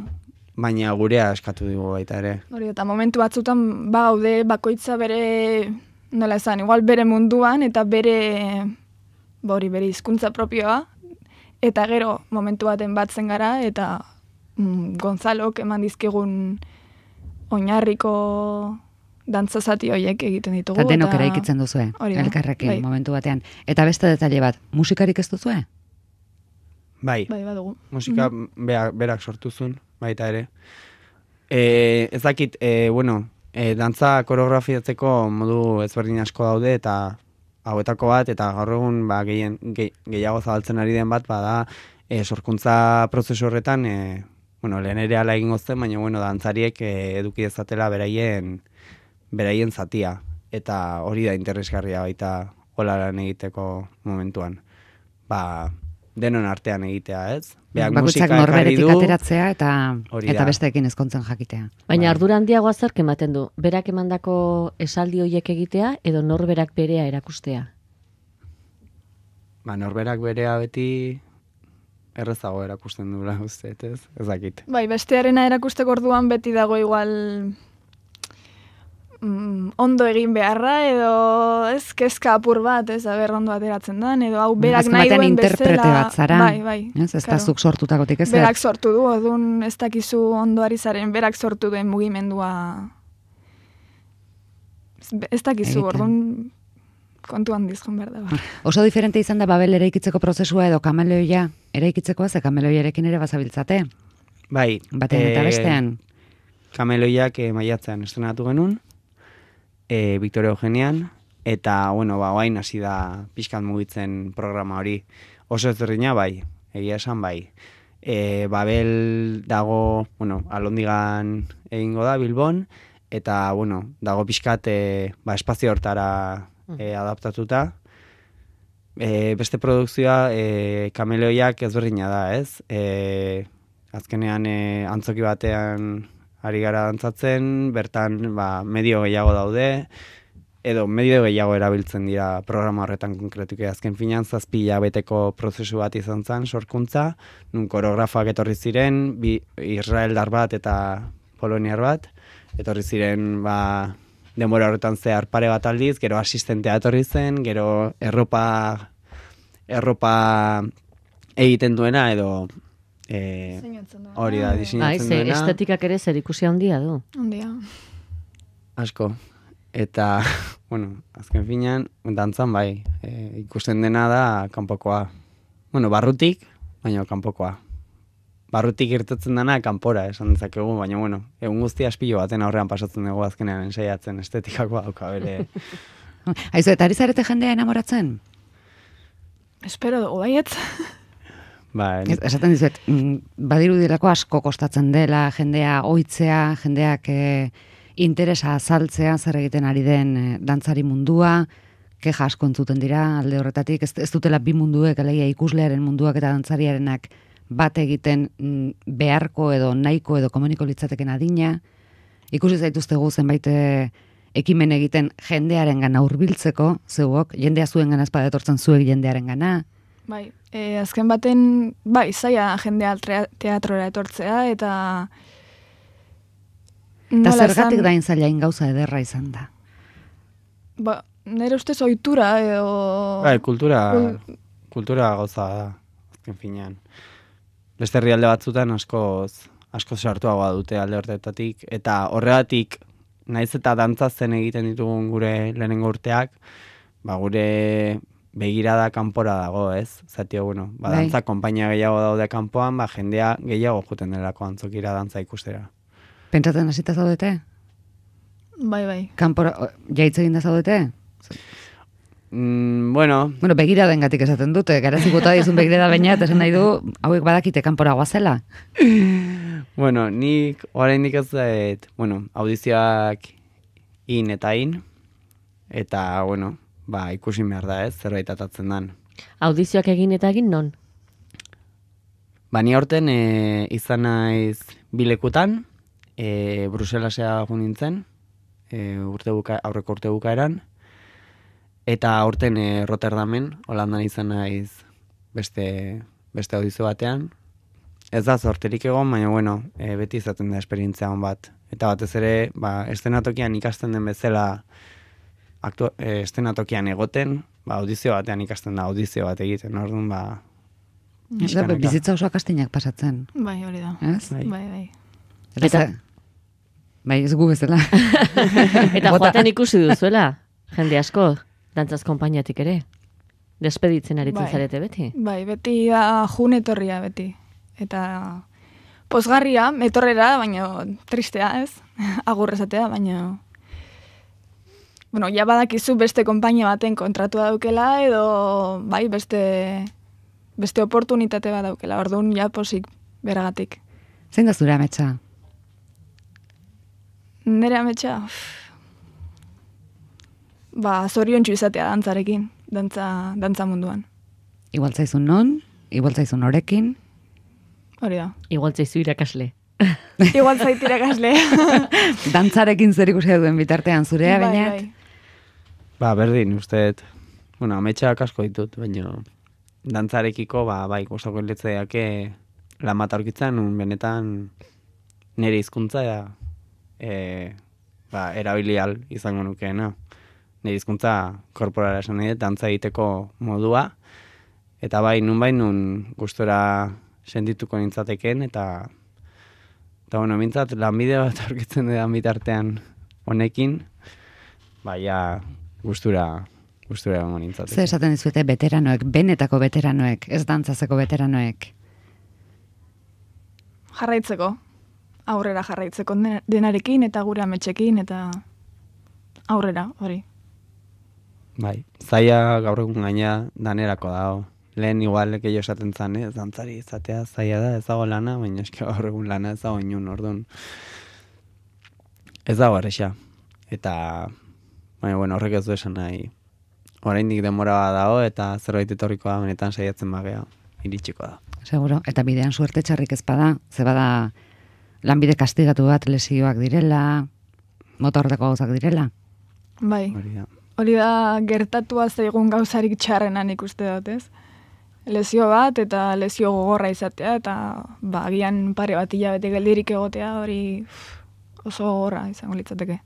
[SPEAKER 12] baina gurea eskatu digu baita ere.
[SPEAKER 11] Hori, eta momentu batzutan bagaude bakoitza bere, nola esan, igual bere munduan, eta bere, hori bere hizkuntza propioa, eta gero momentu baten batzen gara, eta mm, Gonzalok eman dizkigun oinarriko dantzazati horiek egiten ditugu.
[SPEAKER 1] Eta denok eraikitzen duzue, elkarrekin, bai, momentu batean. Eta beste detalle bat, musikarik ez duzue?
[SPEAKER 12] Bai,
[SPEAKER 11] bai badugu.
[SPEAKER 12] Musika mm-hmm. berak, berak sortuzun, baita ere. E, ez dakit, e, bueno, e, dantza koreografiatzeko modu ezberdin asko daude, eta hauetako bat, eta gaur egun ba, gehien, ge, gehiago zabaltzen ari den bat, bada e, sorkuntza prozesu horretan, e, bueno, lehen ere ala egin gozten, baina bueno, dantzariek e, eduki dezatela beraien beraien zatia, eta hori da interesgarria baita hola lan egiteko momentuan. Ba, denon artean egitea, ez? Beak
[SPEAKER 1] bakoitzak norberetik ateratzea eta eta besteekin ezkontzen jakitea.
[SPEAKER 3] Baina bai, ardura handiagoa zerk ematen du? Berak emandako esaldi horiek egitea edo norberak berea erakustea?
[SPEAKER 12] Ba, norberak berea beti errezago erakusten dula, uste, ez? Ez dakit.
[SPEAKER 11] Bai, bestearena erakusteko orduan beti dago igual Mm, ondo egin beharra, edo ez kezka apur bat, ez aber ondo ateratzen den, edo hau berak nahi duen
[SPEAKER 1] interprete bat zara,
[SPEAKER 11] bai, bai,
[SPEAKER 1] ez, ez da zuk sortutakotik ez?
[SPEAKER 11] Berak sortu du, odun ez dakizu ondoari zaren, berak sortu duen mugimendua ez dakizu, orduan kontu handiz joan behar da. Ba.
[SPEAKER 1] Oso diferente izan da Babel eraikitzeko prozesua edo kameleoia eraikitzekoa, ze kameloiarekin ere bazabiltzate?
[SPEAKER 12] Bai.
[SPEAKER 1] Batean eta bestean?
[SPEAKER 12] Kameloiak e, maiatzean estrenatu genuen, E, Victoria Eugenian, eta, bueno, ba, oain hasi da pixkat mugitzen programa hori. Oso ezberdina bai, egia esan bai. E, Babel dago, bueno, Alondigan egingo da, Bilbon, eta, bueno, dago pixkat e, ba, espazio hortara e, adaptatuta. E, beste produkzioa, e, kameleoiak ezberdina da, ez? E, azkenean e, antzoki batean ari gara dantzatzen, bertan ba, medio gehiago daude, edo medio gehiago erabiltzen dira programa horretan konkretuki. Azken finean zazpi hilabeteko prozesu bat izan zen sorkuntza, nun koreografak etorri ziren, bi israeldar bat eta poloniar bat, etorri ziren ba, denbora horretan zehar pare bat aldiz, gero asistentea etorri zen, gero erropa, erropa egiten duena, edo Eh, hori da, diseinatzen duena.
[SPEAKER 3] Estetikak ere zer ikusi handia du.
[SPEAKER 11] Handia.
[SPEAKER 12] Asko. Eta, bueno, azken finean, dantzan bai, e, ikusten dena da kanpokoa. Bueno, barrutik, baina kanpokoa. Barrutik irtetzen dena kanpora, esan dezakegu, baina, bueno, egun guztia aspilo baten aurrean pasatzen dugu azkenean ensaiatzen estetikakoa dauka bere.
[SPEAKER 1] Aizu, eta ari zarete jendea enamoratzen?
[SPEAKER 11] Espero dugu baiet.
[SPEAKER 1] Ba, esaten dizuet, badiru dirako asko kostatzen dela, jendea ohitzea, jendeak e, interesa azaltzea, zer egiten ari den e, dantzari mundua, keja asko entzuten dira alde horretatik, ez, ez dutela bi munduek, alegia ikuslearen munduak eta dantzariarenak bat egiten m, beharko edo nahiko edo komuniko litzateken adina. Ikusi zaituztegu zenbait e, ekimen egiten jendearen gana hurbiltzeko, zeuok, jendea zuen gana espada etortzen zuek jendearen gana.
[SPEAKER 11] Bai, e, azken baten, bai, zaila jendea teatrora etortzea, eta...
[SPEAKER 1] Eta zergatik dain zailain gauza ederra izan da?
[SPEAKER 11] Ba, nire ustez ohitura, edo...
[SPEAKER 12] Bai, kultura... Kul... kultura gauza da, azken finean. Beste herrialde batzutan askoz, askoz sartuagoa dute alde horretatik, eta horregatik, naiz eta dantzatzen egiten ditugun gure lehenengo urteak, ba gure begirada kanpora dago, ez? Zatio, bueno, ba, dantza konpainia gehiago daude kanpoan, ba, jendea gehiago juten delako antzokira dantza ikustera.
[SPEAKER 1] Pentsatzen hasita zaudete?
[SPEAKER 11] Bai, bai.
[SPEAKER 1] Kanpora, jaitz egin da zaudete?
[SPEAKER 12] Mm, bueno...
[SPEAKER 1] Bueno, begiraden gatik esaten dute, garazik bota dizun begirada baina, eta esan nahi du, hauek badakite kanpora guazela.
[SPEAKER 12] Bueno, nik oraindik ez dut, bueno, audizioak in eta in, eta, bueno, ba, ikusi behar da, ez, zerbait atatzen dan.
[SPEAKER 3] Audizioak egin eta egin non?
[SPEAKER 12] Ba, ni aurten e, izan naiz bilekutan, e, Bruselasea gu nintzen, e, urte buka, aurreko urte bukaeran, eta aurten e, Rotterdamen, Holandan izan naiz beste, beste audizio batean. Ez da zorterik egon, baina bueno, e, beti izaten da esperientzia hon bat. Eta batez ere, ba, estenatokian ikasten den bezala, aktu, e, estenatokian egoten, ba, audizio batean ikasten da audizio bat egiten, orduan, ba...
[SPEAKER 1] Eta bizitza oso akastinak pasatzen.
[SPEAKER 11] Bai, hori da.
[SPEAKER 1] Ez?
[SPEAKER 11] Bai, bai. bai.
[SPEAKER 1] Eta, bai, ez gu bezala.
[SPEAKER 3] Eta joaten ikusi duzuela, jende asko, dantzaz konpainiatik ere. Despeditzen aritzen
[SPEAKER 11] bai.
[SPEAKER 3] Zarete beti.
[SPEAKER 11] Bai, beti da jun etorria beti. Eta pozgarria, etorrera, baina tristea, ez? Agur esatea, baina... Bueno, ja badakizu beste konpainia baten kontratua daukela, edo bai, beste... beste oportunitate bat daukela, orduan ja posik beragatik.
[SPEAKER 1] Zein da zure ametsa?
[SPEAKER 11] Nere ametsa? Ba, zoriontsu izatea dantzarekin, dantza, dantza munduan.
[SPEAKER 1] Igual zaizun non, igual zaizun norekin.
[SPEAKER 11] Hori da.
[SPEAKER 3] Igual zaizu irakasle.
[SPEAKER 11] Igual zait irakasle.
[SPEAKER 1] Dantzarekin zer ikusi duen bitartean zurea,
[SPEAKER 11] bai,
[SPEAKER 1] bainat?
[SPEAKER 11] Bai.
[SPEAKER 12] Ba, berdin, usteet, bueno, ametsak asko ditut, baina dantzarekiko, ba, bai, gustoko letzeake lan bat aurkitzen, un benetan nire hizkuntza e, ba, erabilial izango nukeena. Nire hizkuntza korporala esan nahi, dantza egiteko modua, eta bai, nun bai, nun gustora sentituko nintzateken, eta eta bueno, mintzat, lanbide bat aurkitzen dudan bitartean honekin, baina gustura gustura egongo nintzateken.
[SPEAKER 1] Zer esaten dizuete veteranoek, benetako veteranoek, ez dantzazeko veteranoek?
[SPEAKER 11] Jarraitzeko, aurrera jarraitzeko denarekin, eta gure ametxekin, eta aurrera, hori.
[SPEAKER 12] Bai, zaila gaur egun gaina danerako dago. Lehen igual gehiago esaten zan, ez dantzari izatea zaila da, ez dago lana, baina eski gaur egun lana ez dago inun, orduan. Ez dago erresa. Eta, baina, bueno, horrek ez du esan nahi. Oraindik denbora bat dago, eta zerbait etorriko da, benetan saiatzen bagea, iritsiko da.
[SPEAKER 1] Seguro, eta bidean suerte txarrik ez bada, ze bada lanbide kastigatu bat lesioak direla, motordeko gauzak direla.
[SPEAKER 11] Bai.
[SPEAKER 12] Hori da.
[SPEAKER 11] Hori da gertatua zaigun gauzarik txarrenan ikuste dut, ez? Lesio bat eta lesio gogorra izatea, eta ba, agian pare bat hilabete geldirik egotea, hori oso gogorra izango litzateke.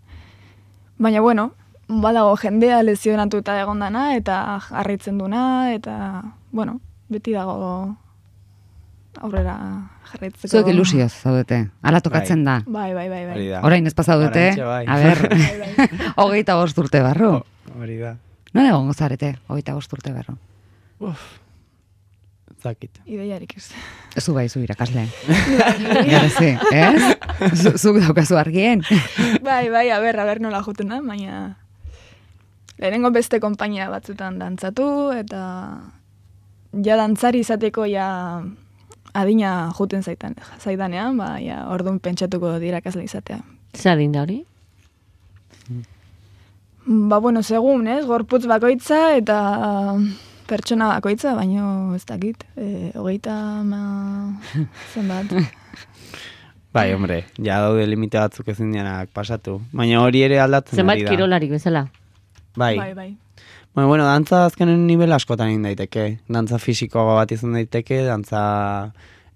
[SPEAKER 11] Baina, bueno, badago jendea lesionatuta egondana, eta jarraitzen duna, eta, bueno, beti dago aurrera jarraitzeko.
[SPEAKER 1] Zuek ilusioz zaudete, ala tokatzen da.
[SPEAKER 11] Bai, bai, bai, bai.
[SPEAKER 1] Orain ez pasaudete,
[SPEAKER 12] bai.
[SPEAKER 1] a ber, hogeita bost urte barru.
[SPEAKER 12] Hori da.
[SPEAKER 1] Non egon gozarete, hogeita bost urte barru?
[SPEAKER 12] Uf, zakit.
[SPEAKER 11] Ideiarik ez.
[SPEAKER 1] Zu bai, zu irakasle. Garezi, ez? Zuk daukazu argien.
[SPEAKER 11] Bai, bai, a ber, a ber nola juten da, baina lehenengo beste konpainia batzutan dantzatu, eta ja dantzari izateko ja adina juten zaitan, zaidanean, ba, ja orduan pentsatuko dirakasle izatea.
[SPEAKER 3] Zer adin da hori?
[SPEAKER 11] Ba, bueno, segun, ez, gorputz bakoitza eta pertsona bakoitza, baino ez dakit, e, hogeita ma zenbat.
[SPEAKER 12] Bai, hombre, ja daude limite batzuk ezin dianak pasatu. Baina hori ere aldatzen
[SPEAKER 3] zenbat
[SPEAKER 12] ari da.
[SPEAKER 3] Zenbat kirolarik bezala?
[SPEAKER 12] Bai.
[SPEAKER 11] Bai, bai.
[SPEAKER 12] Bueno, bueno, dantza azkenen nivel askotan egin daiteke. Dantza fisikoago bat izan daiteke, dantza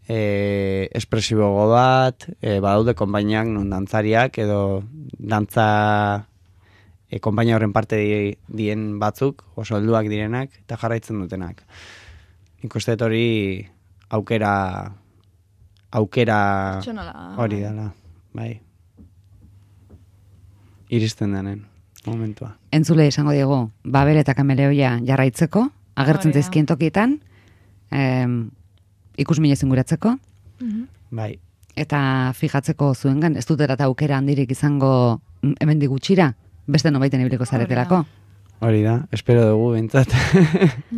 [SPEAKER 12] e, espresiboago bat, e, badaude konpainiak non dantzariak edo dantza e, konpainia horren parte di, dien batzuk, oso helduak direnak, eta jarraitzen dutenak. nik uste dut hori aukera aukera hori dela, bai. Iristen denen momentua.
[SPEAKER 1] Entzule izango diegu, Babel eta Kameleoia jarraitzeko, agertzen zaizkien tokietan, em, ikusmine zinguratzeko,
[SPEAKER 11] Mhm.
[SPEAKER 12] bai.
[SPEAKER 1] Eta fijatzeko zuengan, ez dut erata aukera handirik izango hemendik gutxira, beste nobaiten ibiliko zaretelako.
[SPEAKER 12] Hori da, espero dugu bintzat.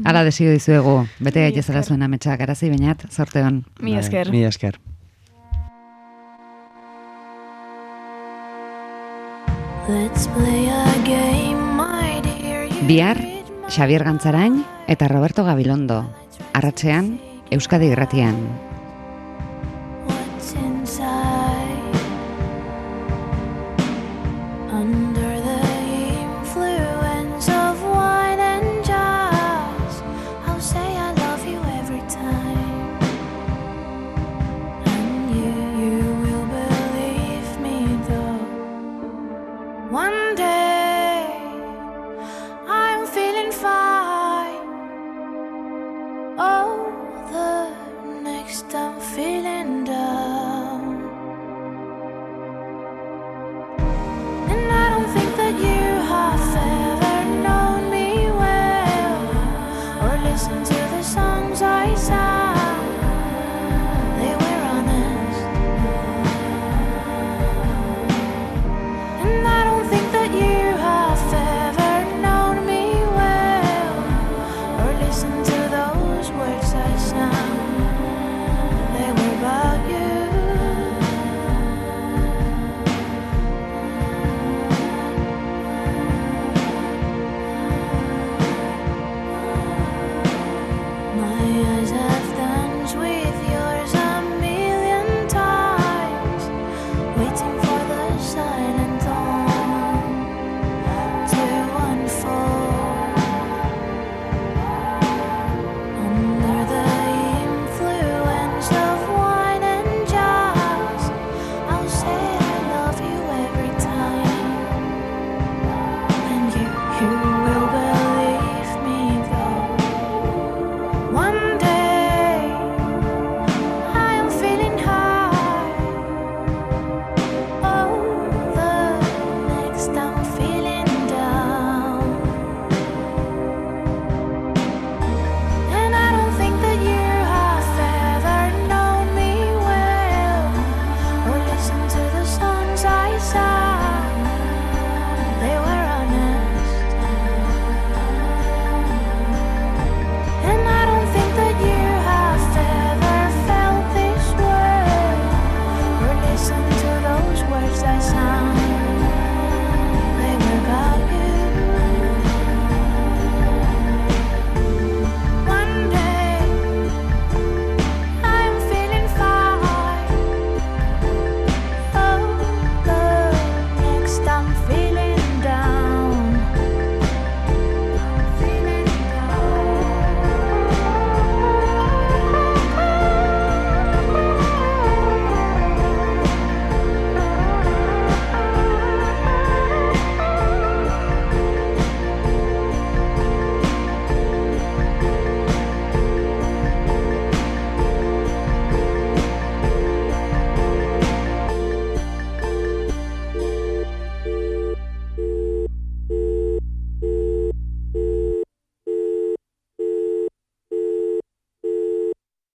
[SPEAKER 1] Hala desio dizuegu, bete gaitezela zuen ametsak, arazi bainat, zorte hon.
[SPEAKER 11] Mi esker.
[SPEAKER 12] Mi esker.
[SPEAKER 1] Bihar, Xabier Gantzarain eta Roberto Gabilondo, arratsean, Euskadi Irratian.
[SPEAKER 10] One day I'm feeling fine. Oh, the next I'm feeling down. And I don't think that you have ever known me well, or listened to the songs I sang. They were honest. And I don't think that you have ever known me well, or listened to those words I sang. They were about you. My eyes have danced with yours a million times, waiting for the silent dawn to unfold. Under the influence of wine and jazz, I'll say I love you every time, and you, you will believe me though. One day I am feeling high. Oh, the next I'm feeling down. And I don't think that you have ever known me well, or listened to the songs I sang. They were honest. And I don't think that you have ever felt this way, or listened to those words I sang.